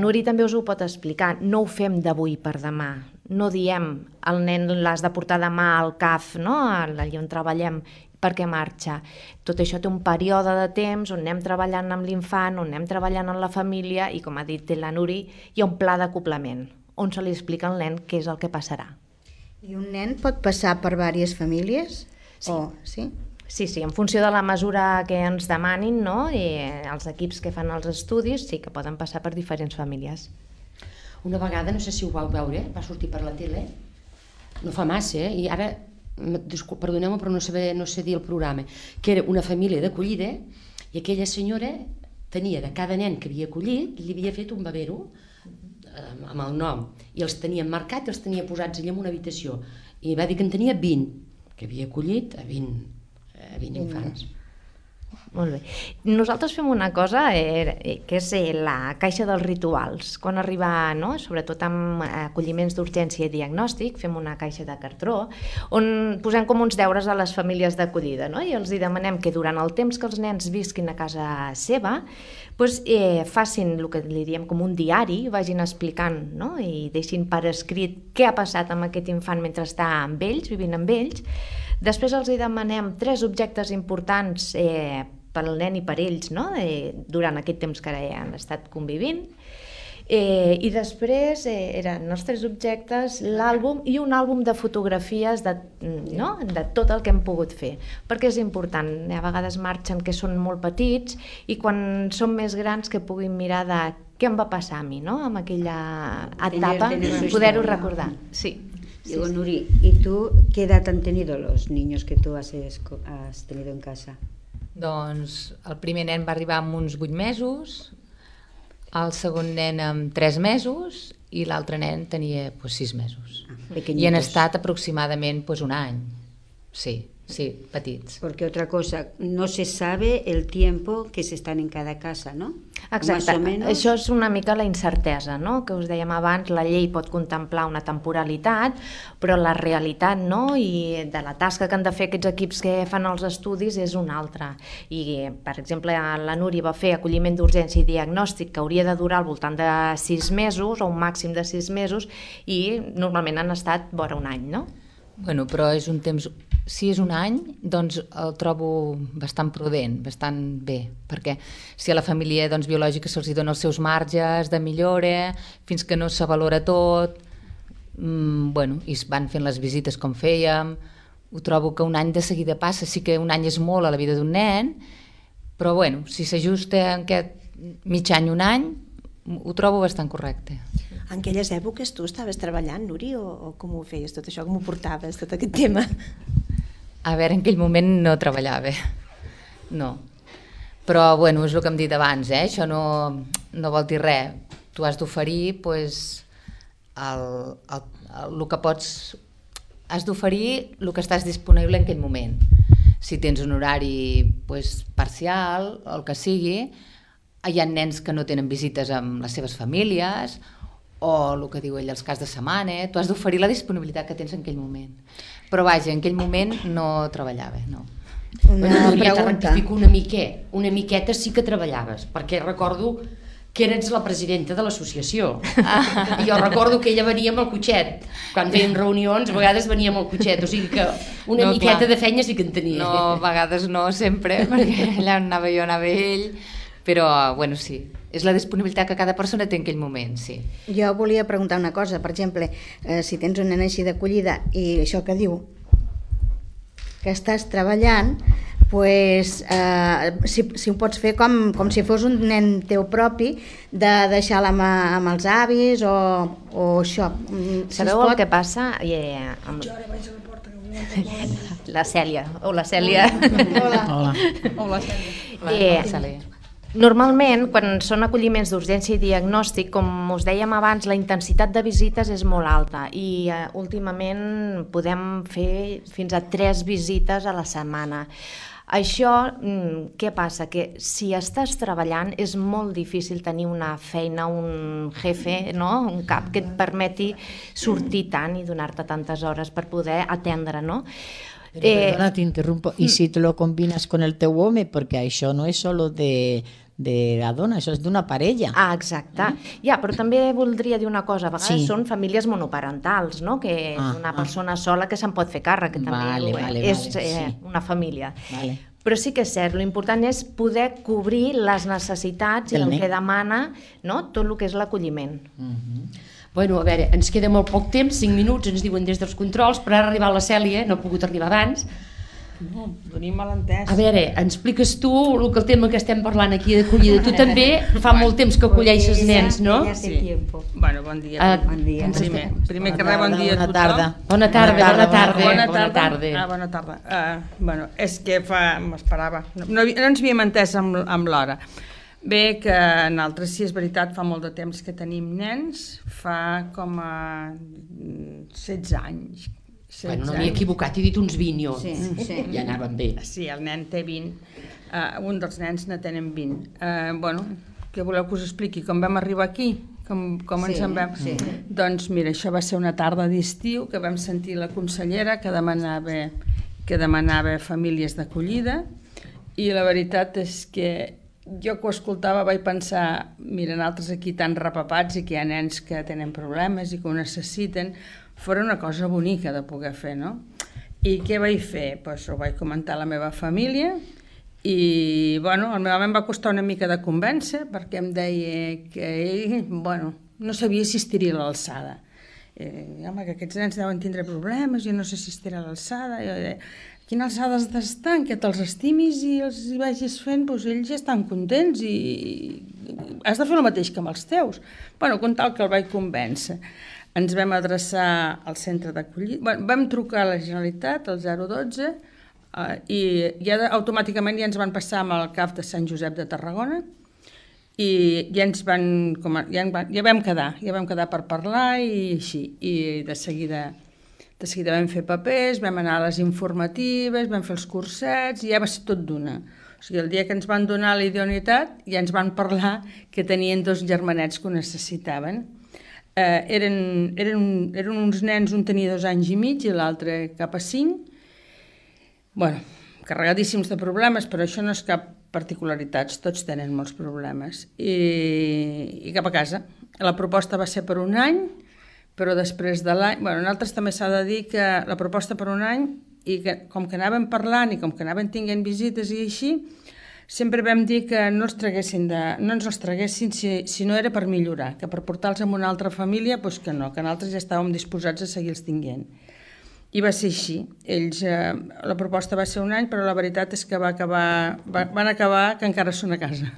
Núria també us ho pot explicar. No ho fem d'avui per demà. No diem el nen l'has de portar demà al CAF, no? Allà on treballem, perquè marxa. Tot això té un període de temps on anem treballant amb l'infant, on anem treballant amb la família i, com ha dit la Núria, hi ha un pla d'acoblament on se li explica al nen què és el que passarà. I un nen pot passar per diverses famílies? Sí. Sí, en funció de la mesura que ens demanin, no? I els equips que fan els estudis sí que poden passar per diferents famílies. Una vegada, no sé si ho vau veure, va sortir per la tele, no fa massa, i ara, perdoneu-me però no sé dir el programa, que era una família d'acollida i aquella senyora tenia de cada nen que havia acollit, li havia fet un babero amb el nom, i els tenia marcat i els tenia posats allà en una habitació, i va dir que en tenia 20, que havia acollit a 20 infants. Molt bé. Nosaltres fem una cosa que és la caixa dels rituals. Quan arriba, no? Sobretot amb acolliments d'urgència i diagnòstic, fem una caixa de cartró on posem com uns deures a les famílies d'acollida, no? I els demanem que durant el temps que els nens visquin a casa seva facin el que li diem com un diari, vagin explicant, no? I deixin per escrit què ha passat amb aquest infant mentre està amb ells, vivint amb ells. Després els demanem 3 objectes importants pel nen i per ells, no? Durant aquest temps que han estat convivint. I després eren els 3 objectes, l'àlbum i un àlbum de fotografies de tot el que hem pogut fer, perquè és important. A vegades marxen que són molt petits i quan són més grans que puguin mirar de què em va passar a mi, no? Amb aquella etapa, poder-ho recordar. Sí. Digo, Nuri, ¿y tú qué edad han tenido los niños que tú has tenido en casa? Doncs el primer nen va arribar amb uns 8 mesos, el segon nen amb 3 mesos i l'altre nen tenia 6 mesos. I han estat aproximadament un any. Sí, petits. Porque otra cosa, no se sabe el tiempo que se están en cada casa, ¿no? Exacte, això és una mica la incertesa, no? Que us dèiem abans, la llei pot contemplar una temporalitat, però la realitat, no? I de la tasca que han de fer aquests equips que fan els estudis és una altra. I, per exemple, la Núria va fer acolliment d'urgència i diagnòstic que hauria de durar al voltant de 6 mesos, o un màxim de 6 mesos, i normalment han estat vora un any, no? Bueno, però és un temps... Si és un any, doncs el trobo bastant prudent, bastant bé, perquè si a la família biològica se'ls dona els seus marges de millora, fins que no s'avalora tot, i es van fent les visites com fèiem, ho trobo que un any de seguida passa, sí que un any és molt a la vida d'un nen, però si s'ajusta en aquest mig any, un any, ho trobo bastant correcte. En aquelles èpoques tu estaves treballant, Nuri, o com ho feies tot això, com ho portaves, tot aquest tema? A veure, en aquell moment no treballava, no. Però, és el que hem dit abans, això no vol dir res. Tu has d'oferir, el que pots... Has d'oferir el que estàs disponible en aquell moment. Si tens un horari parcial, o el que sigui, hi ha nens que no tenen visites amb les seves famílies, o el que diu ell, els caps de setmana, tu has d'oferir la disponibilitat que tens en aquell moment. Però vaja, en aquell moment no treballava, no. Una pregunta. Una miqueta sí que treballaves, perquè recordo que eres la presidenta de l'associació. I jo recordo que ella venia amb el cotxet. Quan feien reunions, a vegades venia amb el cotxet, o sigui que una miqueta de feina sí que en tenia. No, a vegades no, sempre, perquè allà anava jo, anava ell, però, bueno, sí, és la disponibilitat que cada persona té en aquell moment, sí. Jo volia preguntar una cosa, per exemple, si tens un nen així d'acollida i això que diu, que estàs treballant, pues, si ho pots fer com si fos un nen teu propi, de deixar-la amb els avis o això. Sabeu el que passa? La Cèlia. Hola, Cèlia. Hola, Cèlia. Normalment, quan són acolliments d'urgència i diagnòstic, com us dèiem abans, la intensitat de visites és molt alta i últimament podem fer fins a 3 visites a la setmana. Això, què passa? Que si estàs treballant és molt difícil tenir una feina, un jefe, no? Un cap que et permeti sortir tant i donar-te tantes hores per poder atendre, no? Perdona, t'interrumpo. I si te lo combinas con el teu home, perquè això no és solo de la dona, això és d'una parella. Ah, exacte. Ja, però també voldria dir una cosa. A vegades són famílies monoparentals, no? Que és una persona sola que se'n pot fer càrrec, que també és una família. Però sí que és cert, l'important és poder cobrir les necessitats i el que demana tot el que és l'acolliment. Bueno, a veure, ens queda molt poc temps, 5 minuts, ens diuen des dels controls, però ara ha arribat la Cèlia, no ha pogut arribar abans. No, tenim malentès. A veure, ens expliques tu el tema que estem parlant aquí d'acollida. Tu també fa molt temps que acolleixes nens, no? Sí. Bueno, bon dia. Primer que res, bon dia a tothom. Bona tarda. Bona tarda. Bueno, és que m'esperava. No ens havíem entès amb l'hora. Bé, que nosaltres, sí, és veritat, fa molt de temps que tenim nens, fa com a 16 anys. Bueno, no m'he equivocat, he dit uns 20 jo. Ja anaven bé. Sí, el nen té 20, un dels nens ne tenen 20. Bueno, què voleu que us expliqui? Com vam arribar aquí? Com ens en vam? Doncs mira, això va ser una tarda d'estiu que vam sentir la consellera que demanava famílies d'acollida i la veritat és que jo que ho escoltava vaig pensar, mira, nosaltres aquí tan repapats i que hi ha nens que tenen problemes i que ho necessiten, fora una cosa bonica de poder fer, no? I què vaig fer? Doncs ho vaig comentar a la meva família i, bueno, al meu home em va costar una mica de convèncer perquè em deia que ell, bueno, no sabia si estiria a l'alçada. Home, que aquests nens deuen tindre problemes, jo no sé si estirà a l'alçada. Quina alçada has d'estar, que te'ls estimis i els hi vagis fent, doncs ells ja estan contents i has de fer el mateix que amb els teus. Bueno, com tal que el vaig convèncer. Ens vam adreçar al centre d'acollida, vam trucar a la Generalitat, al 012, i ja automàticament ja ens van passar amb el CAF de Sant Josep de Tarragona i ja vam quedar per parlar i així, i de seguida vam fer papers, vam anar a les informatives, vam fer els cursets i ja va ser tot d'una. O sigui, el dia que ens van donar la idoneïtat ja ens van parlar que tenien 2 germanets que ho necessitaven. Eren uns nens, un tenia 2 anys i mig i l'altre cap a 5. Bueno, carregadíssims de problemes, però això no és cap particularitats, tots tenen molts problemes. I cap a casa. La proposta va ser per 1 any, però després de l'any... Bueno, nosaltres també s'ha de dir que la proposta per 1 any, i que com que anàvem parlant i com que anàvem tinguent visites i així, sempre vam dir que no ens els traguessin si no era per millorar, que per portar-los a una altra família, doncs que no, que nosaltres ja estàvem disposats a seguir-los tinguent. I va ser així. La proposta va ser 1 any, però la veritat és que van acabar que encara són a casa.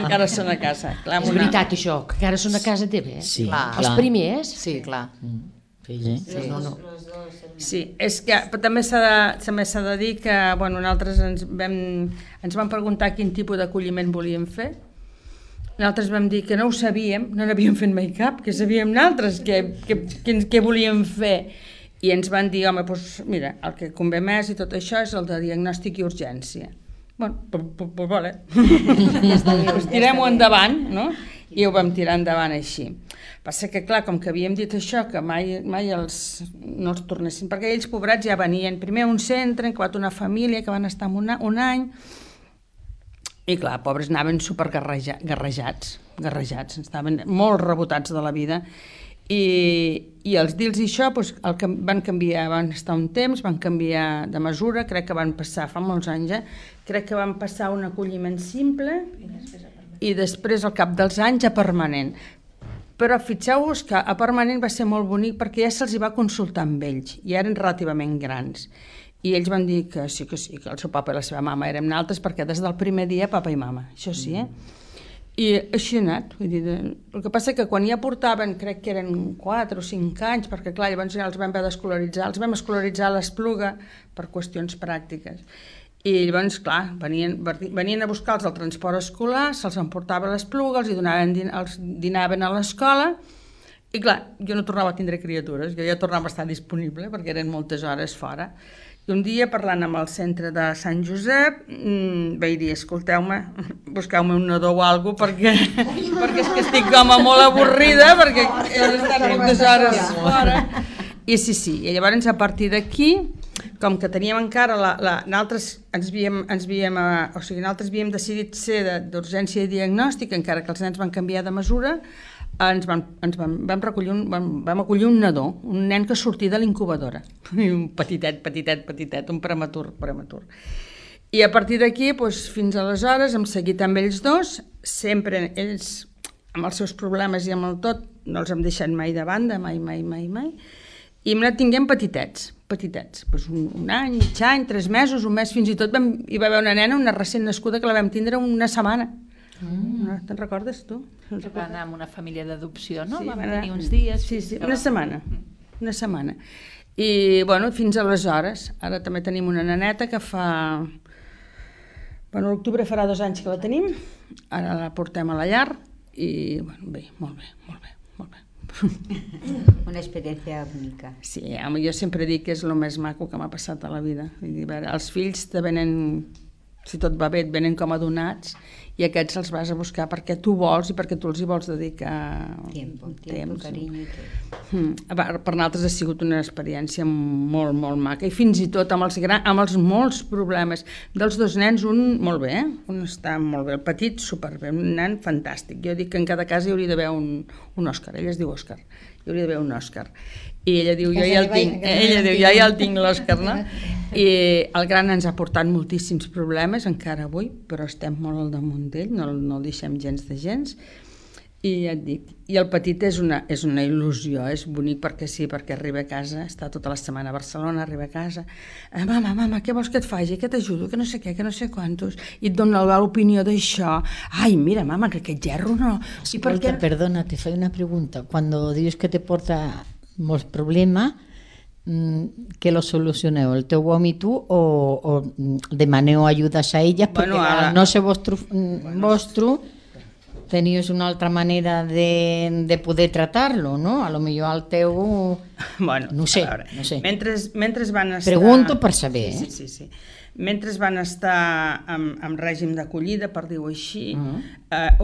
Encara són a casa. És veritat això, que encara són a casa teva, eh? Sí, els primers? Sí, clar. Sí, és que també s'ha de dir que nosaltres ens van preguntar quin tipus d'acolliment volíem fer. Nosaltres vam dir que no ho sabíem, no n'havíem fet mai cap, que sabíem nosaltres què volíem fer. I ens van dir, home, doncs mira, el que convé més i tot això és el de diagnòstic i urgència. Bueno, doncs vale. Tirem-ho endavant, no? i ho vam tirar endavant així. Passa que, clar, com que havíem dit això, que mai no els tornessin, perquè ells, pobrats, ja venien primer a un centre, han acabat una família que van estar un any, i clar, pobres, anaven supergarrejats, estaven molt rebotats de la vida, i els dir-los això, doncs, el que van canviar, van estar un temps, van canviar de mesura, crec que van passar, fa molts anys, crec que van passar un acolliment simple i després al cap dels anys a permanent. Però fixeu-vos que a permanent va ser molt bonic perquè ja se'ls va consultar amb ells, i eren relativament grans. I ells van dir que sí, que el seu papa i la seva mama érem naltres, perquè des del primer dia papa i mama, això sí, I així ha anat. Vull dir, el que passa que quan ja portaven, crec que eren 4 o 5 anys, perquè clar, llavors ja els vam haver d'escolaritzar, els vam escolaritzar a l'Espluga per qüestions pràctiques. I llavors, clar, venien a buscar-los al transport escolar, se'ls emportava a l'Espluga, els dinaven a l'escola, i clar, jo no tornava a tindre criatures, jo ja tornava a estar disponible, perquè eren moltes hores fora. I un dia, parlant amb el centre de Sant Josep, vaig dir, escolteu-me, busqueu-me un nadó o alguna cosa, perquè és que estic com molt avorrida, perquè he d'estar moltes hores fora. I sí, i llavors a partir d'aquí, com que teníem encara, nosaltres havíem decidit ser d'urgència i diagnòstic, encara que els nens van canviar de mesura, vam acollir un nadó, un nen que sortia de l'incubadora, un petitet, un prematur. I a partir d'aquí, fins aleshores, hem seguit amb ells dos, sempre ells, amb els seus problemes i amb el tot, no els hem deixat mai de banda, mai, i hem anat tinguent petitets, un any, mig any, 3 mesos, un mes, fins i tot hi va haver una nena, una recent nascuda, que la vam tindre una setmana. Te'n recordes, tu? Va anar amb una família d'adopció, no? Sí, Vam tenir uns dies. Sí, una setmana. I, bueno, fins aleshores. Ara també tenim una neneta que fa... Bueno, l'octubre farà 2 anys que la tenim. Ara la portem a la llar i, bueno, bé, molt bé. Una experiència única. Sí, jo sempre dic que és el més maco que m'ha passat a la vida. Els fills te venen, si tot va bé, et venen com a donats, i aquests els vas a buscar perquè tu vols i perquè tu els hi vols dedicar temps. Carinyo i tot. Per nosaltres ha sigut una experiència molt, molt maca, i fins i tot amb els molts problemes dels 2 nens, un molt bé, un està molt bé, el petit superbé, un nen fantàstic. Jo dic que en cada casa hi hauria d'haver un Òscar, ella es diu Òscar, hi hauria d'haver un Òscar. I ella diu, jo ja el tinc l'Òscar, no? I el gran ens ha portat moltíssims problemes, encara avui, però estem molt al damunt d'ell, no el deixem gens de gens. I ja et dic, i el petit és una il·lusió, és bonic perquè sí, perquè arriba a casa, està tota la setmana a Barcelona, arriba a casa, mama, què vols que et faci, que t'ajudo, que no sé què, que no sé quantos, i et dona l'opinió d'això, ai, mira, mama, que aquest gerro no... Escolta, perdona, te faig una pregunta, cuando dius que te porta molts problemes, que lo solucioneu, el teu home i tu, o demaneu ajudes a elles, perquè no sé vostre tenies una altra manera de poder tratar-lo, no? A lo millor al teu... Bueno, no sé. Mentre van estar... Pregunto per saber, Sí. Mentre van estar en règim d'acollida, per dir-ho així,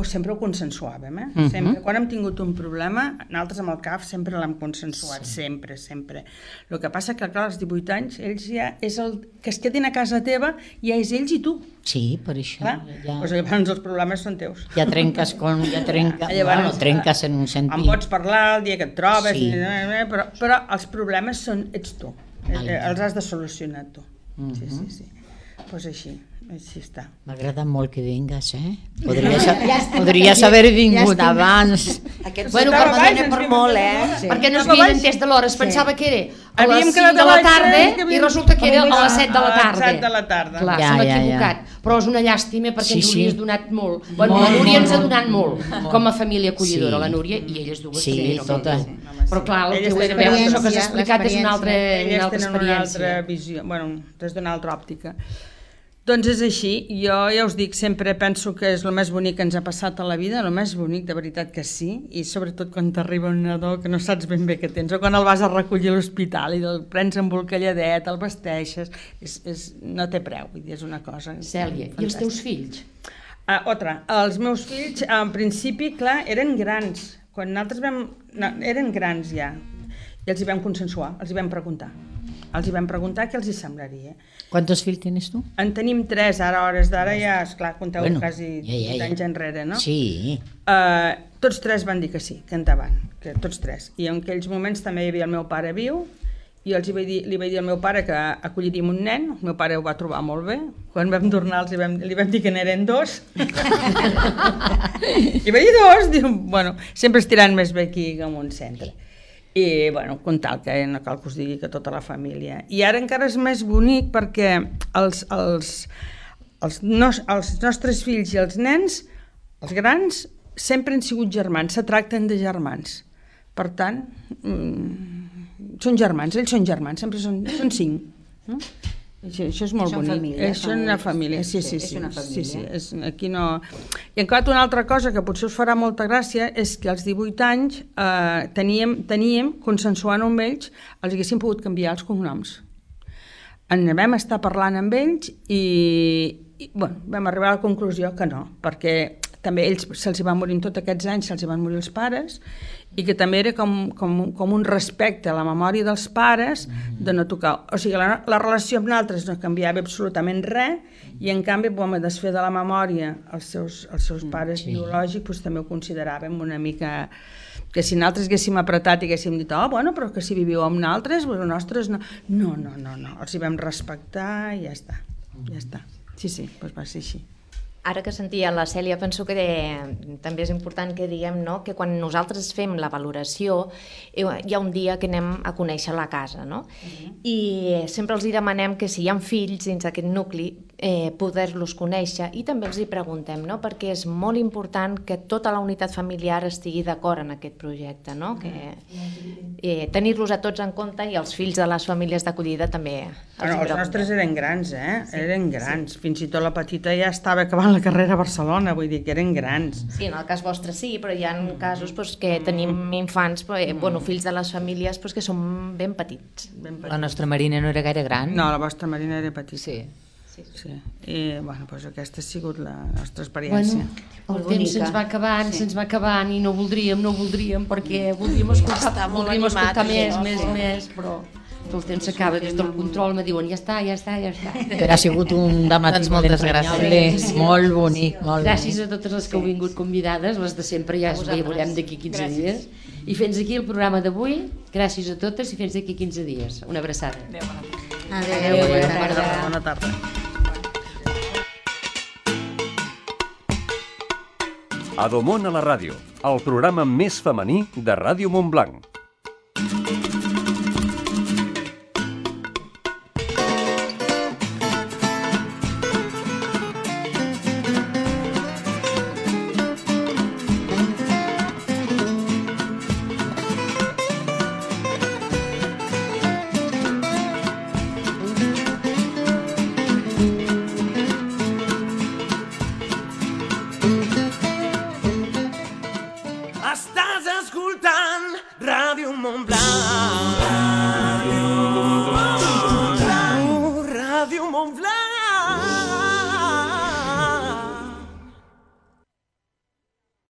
sempre ho consensuàvem, Sempre. Quan hem tingut un problema, nosaltres amb el CAF sempre l'hem consensuat, sempre. El que passa que, clar, als 18 anys, ells ja és el que es quedin a casa teva, ja és ells i tu. Sí, per això. Doncs llavors els problemes són teus. Ja trenques en un sentit. En pots parlar el dia que et trobes, però els problemes ets tu. Els has de solucionar tu. Sí. Doncs així està. M'agrada molt que vingues, Podries haver vingut abans. Bueno, per molt, perquè no es havien entès de l'hora, es pensava que era a les 5 de la tarda i resulta que era a les 7 de la tarda. A les 7 de la tarda. Clar, s'ha equivocat. Però és una llàstima perquè ens hauries donat molt. Bueno, la Núria ens ha donat molt, com a família acollidora, la Núria, i elles dues. Sí, totes. Però clar, el que ho he de veure, això que has explicat és una altra experiència. Elles tenen una altra visió, bueno, des d'una altra òptica. Doncs és així, jo ja us dic, sempre penso que és el més bonic que ens ha passat a la vida, el més bonic, de veritat que sí, i sobretot quan t'arriba un nadó que no saps ben bé què tens, o quan el vas a recollir a l'hospital i el prens amb bolcalladet, el vesteixes, no té preu, vull dir, és una cosa... Cèlia, i els teus fills? Otra, els meus fills, en principi, clar, eren grans. Quan nosaltres eren grans ja. I els hi vam consensuar, els hi vam preguntar. Els hi vam preguntar què els hi semblaria. ¿Cuántos fills tienes tu? En tenim 3, ara a hores d'ara ja, esclar, compteu quasi 20 anys enrere, no? Sí. Tots 3 van dir que sí, que endavant, que tots 3. I en aquells moments també hi havia el meu pare viu, i li vaig dir al meu pare que acolliríem un nen, el meu pare ho va trobar molt bé, quan vam tornar li vam dir que n'eren 2, i vaig dir 2, diu, bueno, sempre estirant més bé aquí que en un centre. I, bueno, com tal, que no cal que us digui que tota la família. I ara encara és més bonic perquè els nostres fills i els nens, els grans, sempre han sigut germans, se tracten de germans. Per tant, són germans, ells són germans, sempre són 5. No? Això és molt bonic. Família, és una família, sí. És una família. Sí, aquí no... I encara una altra cosa que potser us farà molta gràcia és que als 18 anys teníem, consensuant amb ells, els haguéssim pogut canviar els cognoms. En vam estar parlant amb ells i bueno, vam arribar a la conclusió que no, perquè també ells se'ls van morir tots aquests anys, se'ls van morir els pares, i que també era com un respecte a la memòria dels pares de no tocar. O sigui, la relació amb nosaltres no canviava absolutament res, i en canvi vam desfer de la memòria els seus pares biològics, doncs també ho consideràvem una mica... que si nosaltres haguéssim apretat i haguéssim dit bueno, però que si viviu amb nosaltres, els nostres no. No, els hi vam respectar i ja està. Sí, doncs va ser així. Ara que sentia la Cèlia, penso que també és important que diguem, no?, que quan nosaltres fem la valoració hi ha un dia que anem a conèixer la casa, no? I sempre els hi demanem que si hi ha fills dins d'aquest nucli poder-los conèixer, i també els hi preguntem, no?, perquè és molt important que tota la unitat familiar estigui d'acord en aquest projecte, no?, que tenir-los a tots en compte, i els fills de les famílies d'acollida també els nostres eren grans, eren grans, fins i tot la petita ja estava acabant la carrera a Barcelona, vull dir que eren grans. Sí, en el cas vostre sí, però hi ha casos que tenim infants, fills de les famílies que són ben petits. La nostra Marina no era gaire gran. No, la vostra Marina era petita. Sí. I aquesta ha sigut la nostra experiència. El temps se'ns va acabant i no voldríem perquè voldríem escoltar més, però el temps s'acaba. Des del control me diuen ja està. Però ha sigut un dematí moltes gràcies. Molt bonic. Gràcies a totes les que heu vingut convidades, les de sempre ja es veiem d'aquí 15 dies. I fins aquí el programa d'avui. Gràcies a totes i fins d'aquí 15 dies. Una abraçada. Adéu. Bona tarda. Adomon a la ràdio, el programa més femení de Ràdio Montblanc. Estàs escoltant Ràdio Montblanc.